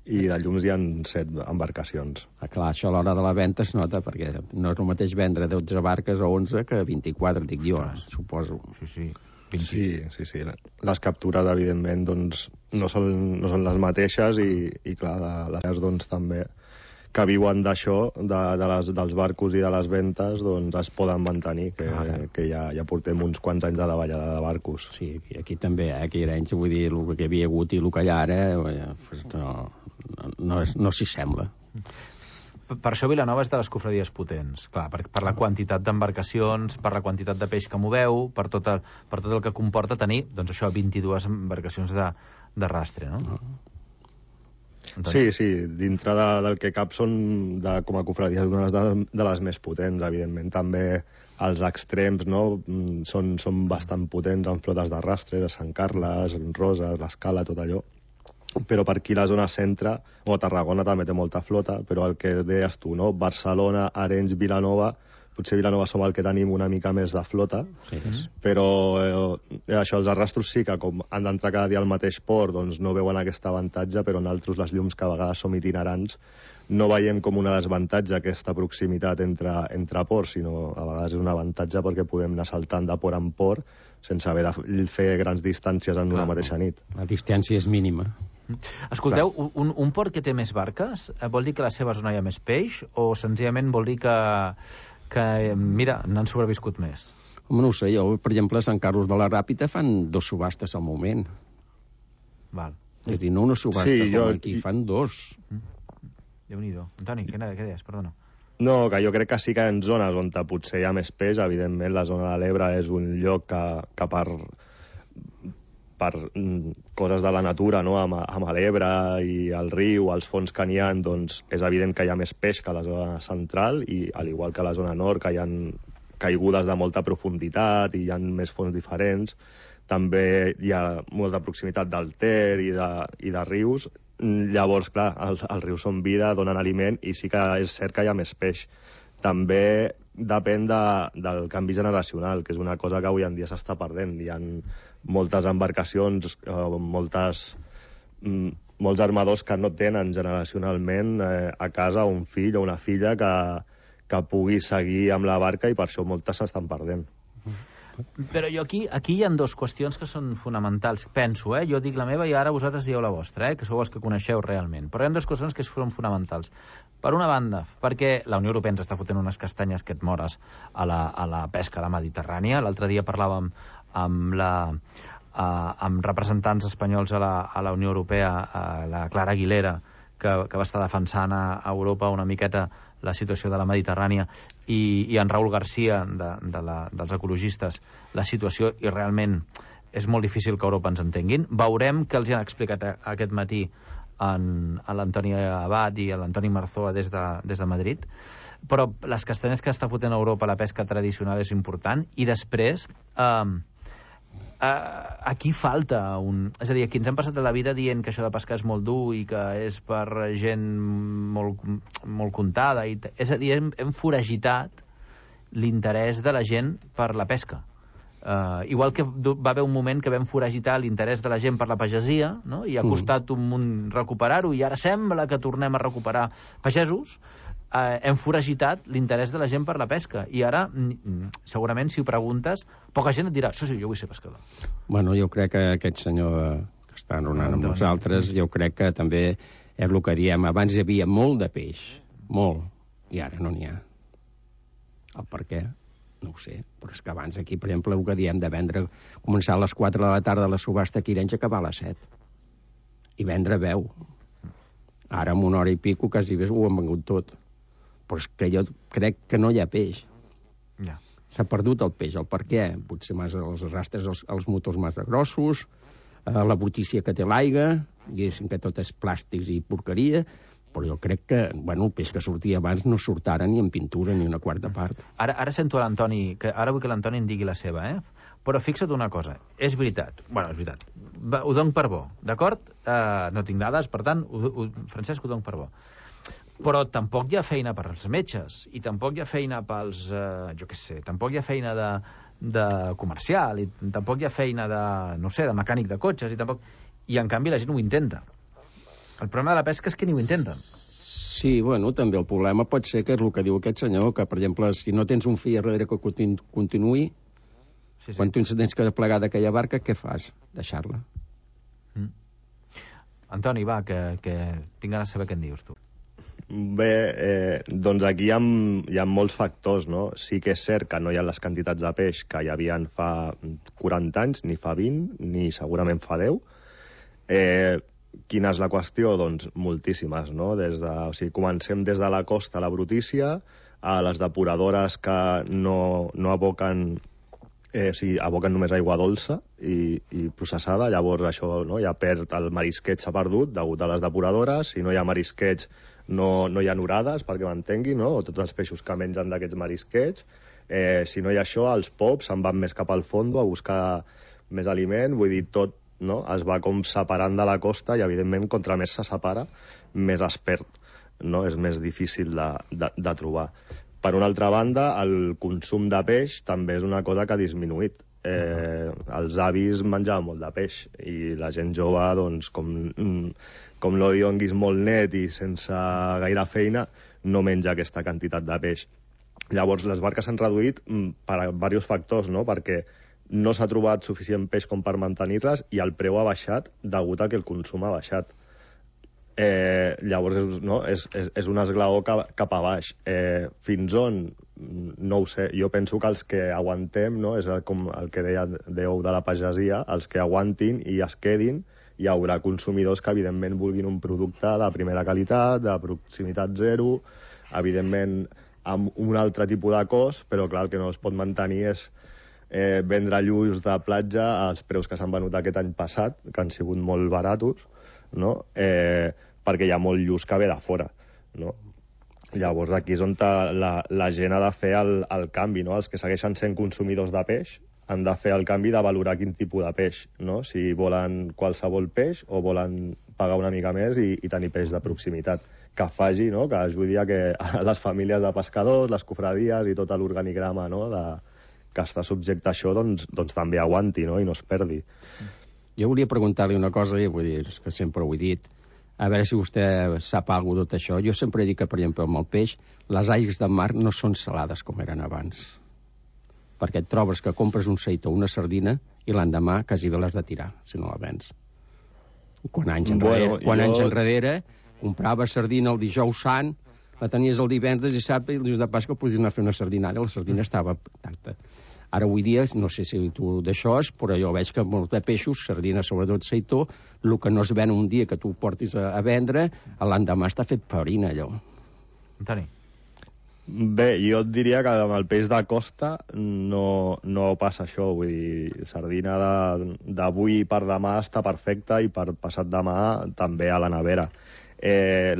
i de llums hi ha 7 embarcacions. Clar, això a l'hora de la venda es nota, perquè no és el mateix vendre 12 barques o 11 que 24, dic jo, suposo. Sí. Sí. Les captures, evidentment, doncs, no són les mateixes i clar, les doncs també que viuen d'això, dels barcos i de les ventes, doncs es poden mantenir, que ja portem uns quants anys de davallada de barcos. Sí, aquí també, aquí a Arenys, vull dir, el que havia hagut i el que hi ha ara, no s'hi sembla. Per això Vilanova és de les cofradies potents, clar, per la quantitat d'embarcacions, per la quantitat de peix que moveu, per tot el que comporta tenir, doncs això, 22 embarcacions de rastre, no? Sí, dintre del que cap són com a cofradies una de les més potents, evidentment. També els extrems, no? Són bastant potents en flotes de rastre, de Sant Carles, Roses, l'Escala, tot allò. Però per aquí la zona centre, o Tarragona també té molta flota, però el que deies tu, no? Barcelona, Arenys, Vilanova potser Vilanova som el que tenim una mica més de flota, però això, els arrastros sí que com han d'entrar cada dia al mateix port, doncs no veuen aquest avantatge, però nosaltres les llums que a vegades som itinerants no veiem com una desavantatge aquesta proximitat entre ports, sinó a vegades és un avantatge perquè podem anar saltant de port en port sense haver de fer grans distàncies en una mateixa nit. La distància és mínima. Escolteu, un port que té més barques vol dir que a la seva zona hi ha més peix o senzillament vol dir que mira, n'han sobreviscut més? Home, no ho sé, jo, per exemple, a Sant Carlos de la Ràpita fan 2 subhastes al moment. Val. És a dir, no una subhasta com aquí, fan 2. Déu-n'hi-do. Antoni, què deies? Perdona. No, que jo crec que sí que en zones on potser hi ha més peix, evidentment la zona de l'Ebre és un lloc que per coses de la natura, no? amb l'Ebre i el riu, els fons que n'hi ha, doncs és evident que hi ha més peix que a la zona central, i al igual que a la zona nord, que hi ha caigudes de molta profunditat i hi ha més fons diferents, també hi ha molta proximitat del Ter i de rius. Llavors, clar, els rius són vida, donen aliment, i sí que és cert que hi ha més peix. També depèn del canvi generacional, que és una cosa que avui en dia s'està perdent. Hi ha moltes embarcacions, molts armadors que no tenen generacionalment a casa un fill o una filla que pugui seguir amb la barca, i per això moltes s'estan perdent. Però jo aquí hi ha 2 qüestions que són fonamentals, penso, jo dic la meva i ara vosaltres dieu la vostra, que sou els que coneixeu realment, però hi ha 2 qüestions que són fonamentals. Per una banda, perquè la Unió Europea ens està fotent unes castanyes que et mores a la pesca a la Mediterrània. L'altre dia parlàvem amb representants espanyols a la Unió Europea, la Clara Aguilera, que va estar defensant a Europa una miqueta la situació de la Mediterrània, i en Raül García, dels ecologistes, la situació, i realment és molt difícil que Europa ens entenguin. Veurem què els han explicat aquest matí a l'Antoni Abad i a l'Antoni Marzoa des de Madrid. Però les castanyes que està fotent a Europa, la pesca tradicional, és important. I després, aquí falta és a dir, aquí ens hem passat la vida dient que això de pescar és molt dur i que és per gent molt comptada, és a dir, hem foragitat l'interès de la gent per la pesca. Igual que va haver un moment que vam foragitar l'interès de la gent per la pagesia, no? I ha costat un munt recuperar-ho, i ara sembla que tornem a recuperar pagesos. Hem foragitat l'interès de la gent per la pesca, i ara segurament si ho preguntes poca gent et dirà, sí, jo vull ser pescador. Bueno, jo crec que aquest senyor que està enronant amb nosaltres, jo crec que també és el que diem, abans hi havia molt de peix, molt, i ara no n'hi ha. El per què? No ho sé, però és que abans aquí, per exemple, el que diem de vendre, començar a les 4 de la tarda la subhasta aquí i acabar a les 7, i vendre veu. Ara, amb 1 hora i pico, quasi bé ho han vengut tot. Però és que jo crec que no hi ha peix. Ja. S'ha perdut el peix. El per què? Potser els arrastres els motors massa grossos, la brutícia que té l'aigua, diguéssim que tot és plàstics i porqueria, però jo crec que el peix que sortia abans no surt ara ni en pintura ni una quarta part. Ara sento a l'Antoni, ara vull que l'Antoni en digui la seva, Però fixa't una cosa, és veritat, ho dono per bo, d'acord? No tinc dades, per tant, Francesc, ho dono per bo. Però tampoc hi ha feina per als metges, i tampoc hi ha feina pels, tampoc hi ha feina de comercial, i tampoc hi ha feina de mecànic de cotxes, i en canvi la gent ho intenta. El problema de la pesca és que ni ho intenten. Sí, també el problema pot ser que és el que diu aquest senyor, que, per exemple, si no tens un fill darrere que continuï, quan tu tens que desplegar d'aquella barca, què fas? Deixar-la. Antoni, va, que tinc ganes de saber què en dius, tu. Bé, doncs aquí hi ha molts factors, no? Sí que és cert que no hi ha les quantitats de peix que hi havia fa 40 anys, ni fa 20, ni segurament fa 10. Quina és la qüestió? Doncs moltíssimes, no? Comencem des de la costa, la brutícia, a les depuradores que no aboquen, aboquen només aigua dolça i processada. Llavors això ja perd, el marisquet s'ha perdut degut a les depuradores. Si no hi ha marisquets, no hi ha orades, perquè m'entengui, no? O tots els peixos que mengen d'aquests marisquets. Si no hi ha això, els pops se'n van més cap al fondo a buscar més aliment. Vull dir, tot es va com separant de la costa, i evidentment contra més se separa, més es perd, no? És més difícil de trobar. Per una altra banda, el consum de peix també és una cosa que ha disminuït. Els avis menjaven molt de peix i la gent jove, doncs, com no li donguis molt net i sense gaire feina, no menja aquesta quantitat de peix. Llavors, les barques s'han reduït per diversos factors, no? Perquè no s'ha trobat suficient peix com per mantenir-les i el preu ha baixat degut a que el consum ha baixat. Llavors és un esglaó cap a baix. Fins on? No ho sé. Jo penso que els que aguantem, no? És com el que dèieu de la pagesia, els que aguantin i es quedin, hi haurà consumidors que evidentment vulguin un producte de primera qualitat, de proximitat zero, evidentment amb un altre tipus de cost, però clar, el que no es pot mantenir és vendre lluç de platja als preus que s'han venut aquest any passat, que han sigut molt baratos, no? Perquè hi ha molt lluç que ve de fora, no? Llavors aquí és on la gent ha de fer el canvi, no? Els que segueixen sent consumidors de peix han de fer el canvi de valorar quin tipus de peix, no? Si volen qualsevol peix o volen pagar una mica més i tenir peix de proximitat, que faci, no? Que ajudi a que les famílies de pescadors, les cofradies i tot l'organigrama, no? Que està subjecte a això, doncs també aguanti, no? I no es perdi. Jo volia preguntar-li una cosa, i vull dir, que sempre ho he dit, a veure si vostè sap alguna cosa tot això. Jo sempre he dit que, per exemple, amb el peix, les aigües del mar no són salades com eren abans. Perquè et trobes que compres un seitó o una sardina i l'endemà quasi bé l'has de tirar, si no la vens. Quan anys enrere comprava sardina el dijous sant, la tenies el divendres, dissabte, i el dijous de Pasqua podies anar a fer una sardinària, la sardina estava intacta. Ara avui dia, no sé si tu d'això és, però jo veig que molts de peixos, sardina, sobretot seitó, el que no es ven un dia que tu portis a vendre, l'endemà està fet farina, allò. Antoni. Bé, jo et diria que amb el peix de costa no passa això, vull dir, sardina d'avui per demà està perfecta i per passat demà també a la nevera.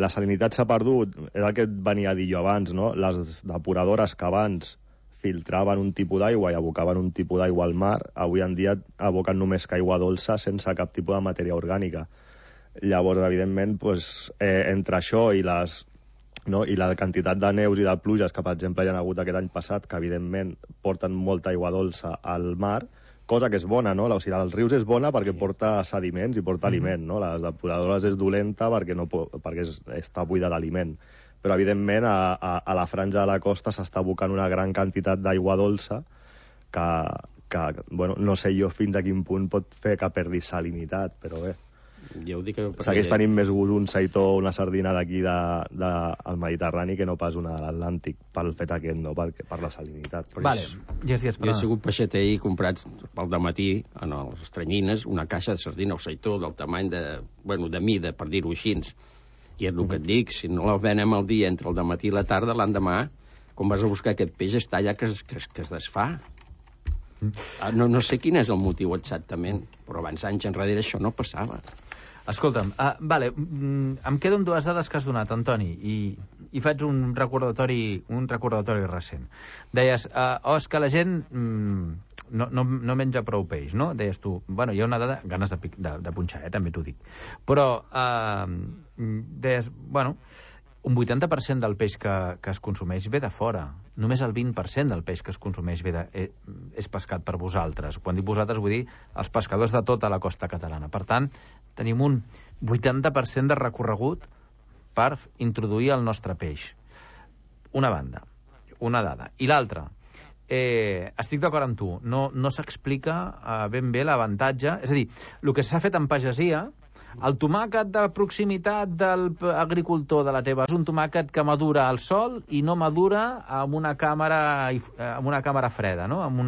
La salinitat s'ha perdut, és el que et venia a dir jo abans, no? Les depuradores que abans filtraven un tipus d'aigua i abocaven un tipus d'aigua al mar, avui en dia aboquen només aigua dolça sense cap tipus de matèria orgànica. Llavors, evidentment, entre això i la quantitat de neus i de pluges que, per exemple, hi ha hagut aquest any passat, que evidentment porten molta aigua dolça al mar, cosa que és bona, no? O sigui, els rius és bona perquè porta sediments i porta aliment, no? Les depuradores és dolenta perquè està buida d'aliment. Però, evidentment, a la franja de la costa s'està abocant una gran quantitat d'aigua dolça que no sé jo fins a quin punt pot fer que perdi salinitat, però bé. Jo ho dic que... Segueix tenint més gust un seitó o una sardina d'aquí del Mediterrani que no pas una de l'Atlàntic, pel fet aquest, no? Per la salinitat. Vale, ja sí, jo he sigut peixater i he comprat pel dematí en les Estranyines una caixa de sardina o seitó del tamany de mida, per dir-ho així. I és el que et dic, si no la venem al dia entre el dematí i la tarda, l'endemà, quan vas a buscar aquest peix, està allà que es desfà. No sé quin és el motiu exactament, però abans anys enrere això no passava. Escolta'm, em quedo amb dues dades que has donat, Antoni, i faig un recordatori recent. Deies, és que la gent no menja prou peix, no? Deies tu, hi ha una dada, ganes de punxar, també t'ho dic. Però deies, un 80% del peix que es consumeix ve de fora. Només el 20% del peix que es consumeix és pescat per vosaltres. Quan dic vosaltres vull dir els pescadors de tota la costa catalana. Per tant, tenim un 80% de recorregut per introduir el nostre peix. Una banda, una dada. I l'altra, estic d'acord amb tu, no s'explica ben bé l'avantatge. És a dir, el que s'ha fet en pagesia, el tomàquet de proximitat de l'agricultor de la teva és un tomàquet que madura al sol i no madura amb una càmera freda, no? amb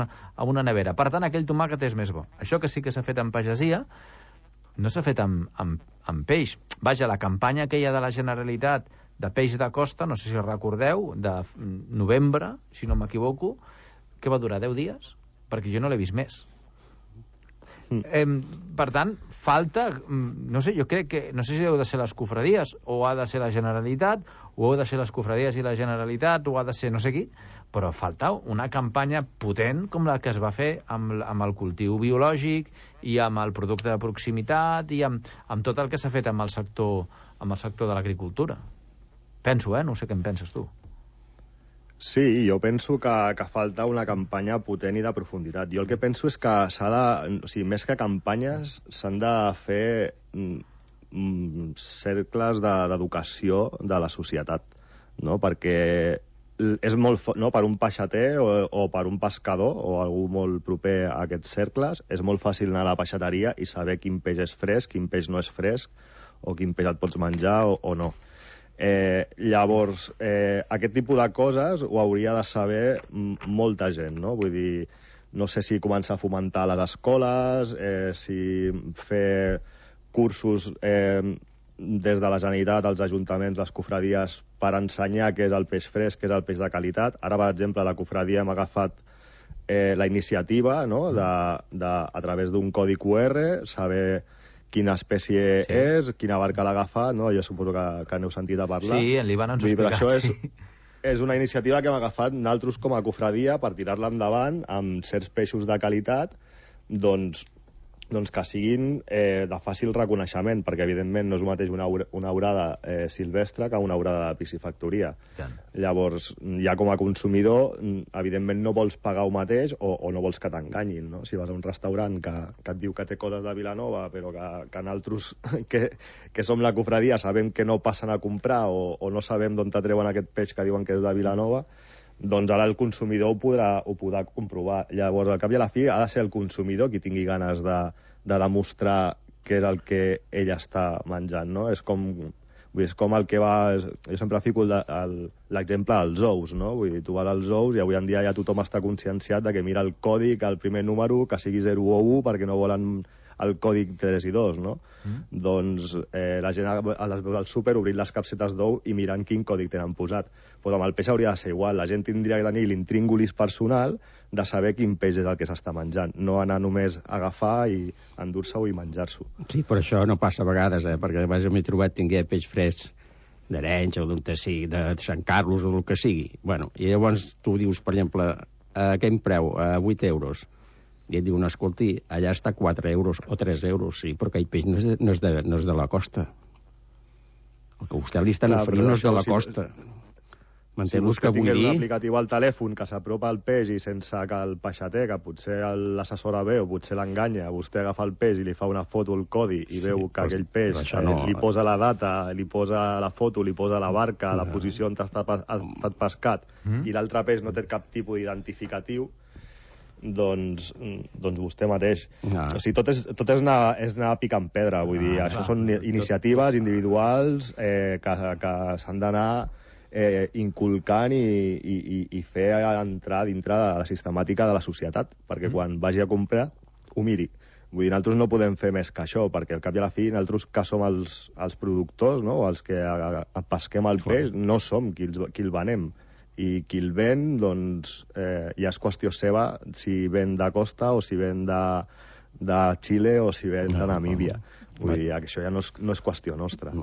una nevera. Per tant, aquell tomàquet és més bo. Això que sí que s'ha fet en pagesia no s'ha fet amb peix. Vaja, la campanya aquella de la Generalitat de peix de costa, no sé si recordeu, de novembre, si no m'equivoco, que va durar 10 dies, perquè jo no l'he vist més. Per tant, falta, no sé, jo crec que, no sé si heu de ser les cofradies o ha de ser la Generalitat, o heu de ser les cofradies i la Generalitat, o ha de ser no sé qui, però falta una campanya potent com la que es va fer amb el cultiu biològic i amb el producte de proximitat i amb tot el que s'ha fet amb el sector de l'agricultura. Penso, no sé què en penses tu. Sí, jo penso que falta una campanya potent i de profunditat. Jo el que penso és que s'ha de... O sigui, més que campanyes, s'han de fer cercles d'educació de la societat, no? Perquè és molt... No? Per un peixater o per un pescador o algú molt proper a aquests cercles, és molt fàcil anar a la peixateria i saber quin peix és fresc, quin peix no és fresc, o quin peix et pots menjar o no. Llavors, aquest tipus de coses ho hauria de saber molta gent, no? Vull dir, no sé si començar a fomentar a les escoles, si fer cursos des de la Generalitat, als ajuntaments, les cofradies, per ensenyar què és el peix fresc, què és el peix de qualitat. Ara, per exemple, a la cofradia hem agafat la iniciativa, no?, a través d'un codi QR, saber quina espècie és, quina barca l'ha agafat, no? Jo suposo que n'heu sentit a parlar. Sí, en l'Ivan ens ho ha explicat. Això és una iniciativa que hem agafat nosaltres com a cofradia per tirar-la endavant amb certs peixos de qualitat, doncs que siguin de fàcil reconeixement, perquè evidentment no és el mateix una aurada silvestre que una aurada de piscifactoria. Llavors, ja com a consumidor, evidentment no vols pagar el mateix o no vols que t'enganyin, no? Si vas a un restaurant que et diu que té coses de Vilanova, però que nosaltres, que som la cofradia, sabem que no passen a comprar o no sabem d'on t'atreuen aquest peix que diuen que és de Vilanova, doncs ara el consumidor ho podrà comprovar. Llavors, al cap i a la fi, ha de ser el consumidor qui tingui ganes de demostrar què és el que ell està menjant, no? És com el que va... Jo sempre fico l'exemple dels ous, no? Vull dir, tu vas als ous i avui en dia ja tothom està conscienciat de que mira el còdic, el primer número, que sigui 0 o 1, perquè no volen el còdic 3 i 2, no? Doncs la gent les veus al súper obrint les capsetes d'ou i mirant quin còdic tenen posat. Però amb el peix hauria de ser igual. La gent tindria que tenir l'intríngulis personal de saber quin peix és el que s'està menjant, no anar només a agafar i endur-se-ho i menjar-s'ho. Sí, però això no passa a vegades, perquè a vegades m'he trobat tingué peix fresc d'Arenys o d'on sigui, de Sant Carlos o del que sigui. Bueno, i llavors tu dius, per exemple, a quin preu? A 8 euros. I et diu, no, escolti, allà està 4 euros o 3 euros, sí, però aquell peix no és de la costa. El que vostè li estan oferint no és de la costa. Si vostè tingués un aplicatiu al telèfon que s'apropa al peix i sense que el peixater, que potser l'assessora bé o potser l'enganya, vostè agafa el peix i li fa una foto al codi i veu que aquell peix li posa la data, li posa la foto, li posa la barca, la posició on ha estat pescat, i l'altre peix no té cap tipus d'identificatiu, doncs vostè mateix. O sigui, tot és anar picant pedra, vull dir, això són iniciatives individuals que s'han d'anar inculcant i fer entrar dintre de la sistemàtica de la societat, perquè quan vagi a comprar ho miri. Vull dir, nosaltres no podem fer més que això, perquè al cap i a la fi nosaltres que som els productors, no?, o els que pesquem el peix, no som qui el venem. I qui el ven, doncs, ja és qüestió seva si ven de costa o si ven de Xile o si ven de Namíbia. Vull dir, això ja no és qüestió nostra.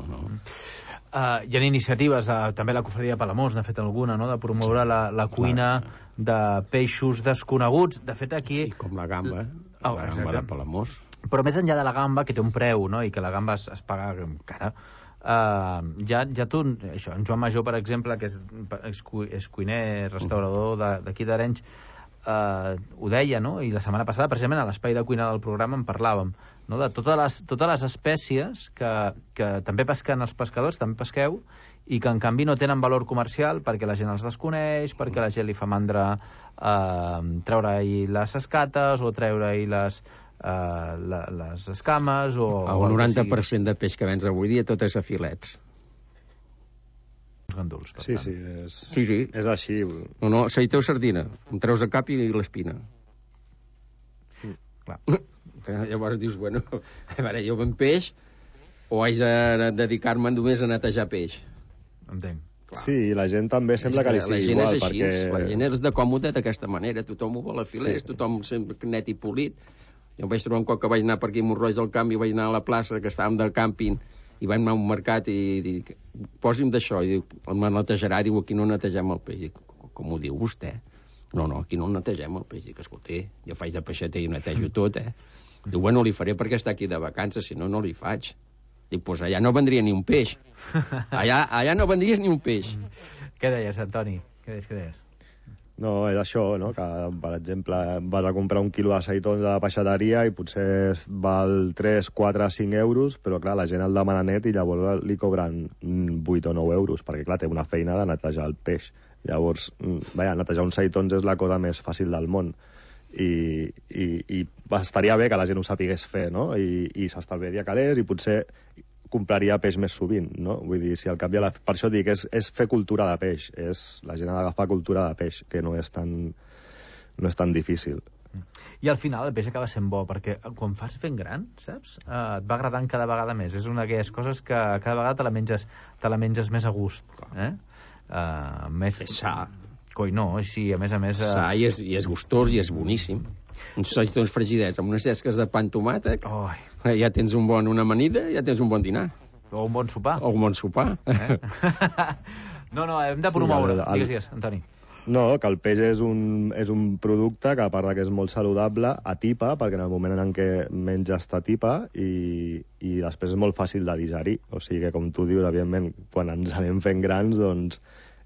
Hi ha iniciatives, també la cofradia de Palamós n'ha fet alguna, no?, de promoure la cuina de peixos desconeguts. De fet, aquí... I com la gamba, la gamba de Palamós. Però més enllà de la gamba, que té un preu, no?, i que la gamba es paga cara, ja tu, això, en Joan Major, per exemple, que és cuiner, restaurador d'aquí d'Arenys, ho deia, no?, i la setmana passada, precisament a l'espai de cuina del programa en parlàvem, no?, de totes les espècies que també pesquen els pescadors, també pesqueu, i que en canvi no tenen valor comercial perquè la gent els desconeix, perquè la gent li fa mandra treure-hi les escates o treure-hi les escames o... El 90% de peix que vens avui dia tot és a filets. Uns ganduls, per tant. Sí, és així. No, seiteu sardina, em treus el cap i l'espina. Clar. Llavors dius, bueno, a veure, jo ven peix o haig de dedicar-me només a netejar peix? Entenc. Sí, la gent també sembla que li sigui igual. La gent és així, la gent és de còmode d'aquesta manera, tothom ho vol a filers, tothom sempre net i polit. Jo em vaig trobar un cop que vaig anar per aquí a Montroig del Camp i vaig anar a la plaça, que estàvem del càmping, i vaig anar a un mercat i dic, posi'm d'això, i diu, me netejarà, diu, aquí no netegem el peix. Dic, com ho diu vostè? No, aquí no netegem el peix. Dic, escolta, jo faig de peixater i netejo tot, Diu, bueno, li faré perquè està aquí de vacances, si no, no li faig. Dic, doncs allà no vendria ni un peix. Allà no vendries ni un peix. Què deies, Antoni? Què deies? No, és això, no? Que, per exemple, vas a comprar un quilo de seitons a la peixateria i potser val 3, 4, 5 euros, però clar, la gent el demana net i llavors li cobren 8 o 9 euros, perquè clar, té una feina de netejar el peix. Llavors, netejar uns seitons és la cosa més fàcil del món. I estaria bé que la gent ho sapigués fer, no? I s'estalviaria calés i potser compraria peix més sovint, no? Vull dir, si al cap i a la... Per això dic, és fer cultura de peix, la gent ha d'agafar cultura de peix, que no és tan difícil. I al final el peix acaba sent bo, perquè quan fas fent gran, saps? Et va agradant cada vegada més. És una d'aquelles coses que cada vegada te la menges més a gust. Més sa. Coi, no, així, a més... Sa i és gustós i és boníssim. Uns seitons fregidets amb unes llesques de pa amb tomàquet, ja tens una amanida, ja tens un bon dinar. O un bon sopar. No, hem de promoure. Digues, Antoni. No, que el peix és un producte que, a part que és molt saludable, atipa, perquè en el moment en què menges t'atipa, i després és molt fàcil de digerir. O sigui que, com tu dius, evidentment, quan ens anem fent grans, doncs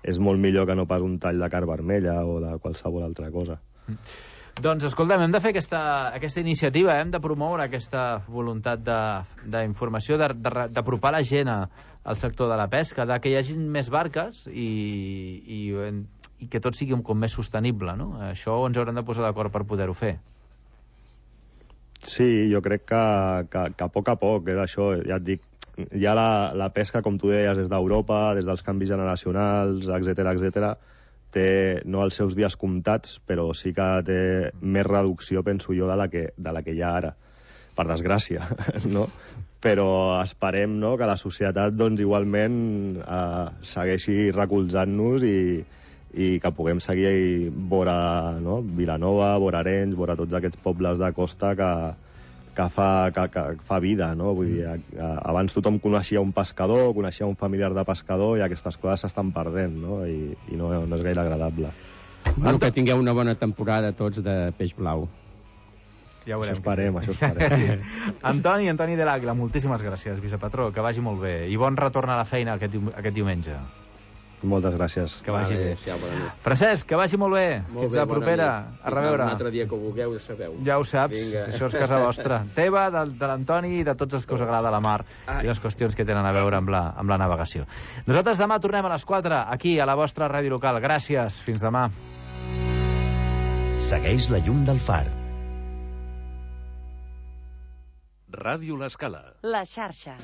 és molt millor que no pas un tall de carn vermella o de qualsevol altra cosa. Doncs, escolta'm, hem de fer aquesta iniciativa, hem de promoure aquesta voluntat d'informació, d'apropar la gent al sector de la pesca, que hi hagi més barques i que tot sigui com més sostenible, no? Això ens haurem de posar d'acord per poder-ho fer. Sí, jo crec que a poc, és això, ja et dic, ja la pesca, com tu deies, des d'Europa, des dels canvis generacionals, etc, té no els seus dies comptats, però sí que té més reducció, penso jo, de la que hi ha ara, per desgràcia, no? Però esperem, no?, que la societat, doncs, igualment segueixi recolzant-nos i que puguem seguir vora, no?, Vilanova, vora Arenys, vora tots aquests pobles de costa que fa vida, no? Vull dir, abans tothom coneixia un pescador, coneixia un familiar de pescador, i aquestes coses s'estan perdent, no? I no és gaire agradable. Bueno, que tingueu una bona temporada tots de peix blau. Ja ho veurem. Això esperem. Sí. Antoni de l'Àguila, moltíssimes gràcies, vicepatró, que vagi molt bé. I bon retorn a la feina aquest diumenge. Moltes gràcies. Que vagi bé. Francesc, que vagi molt bé. Fins la propera. A reveure. Un altre dia que ho vulgueu, ja sabeu. Ja ho saps, això és casa vostra. Teva, de l'Antoni i de tots els que us agrada la mar i les qüestions que tenen a veure amb la navegació. Nosaltres demà tornem a les 4, aquí, a la vostra ràdio local. Gràcies, fins demà. Segueix la llum del far. Ràdio L'Escala. La xarxa.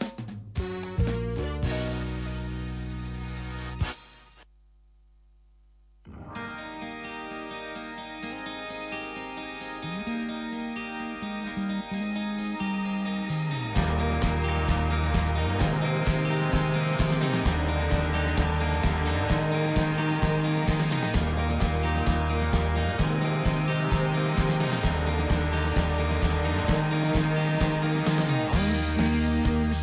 Els dilluns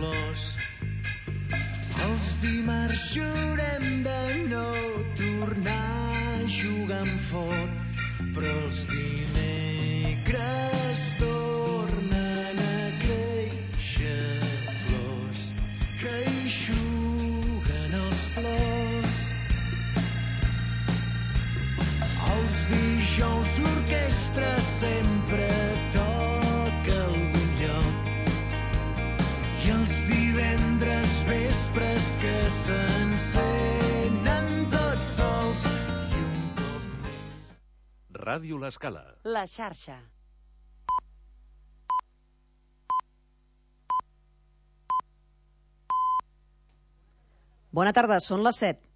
flors. Els dimarts jurem de no tornar a jugar amb foc, però els dimecres tornen a créixer flors que eixuguen els plors. Els dijous l'orquestra sempre toca a algun lloc i els divendres vespres que s'encenen tots sols i un cop més. Ràdio L'Escala. La xarxa. Bona tarda, són les 7.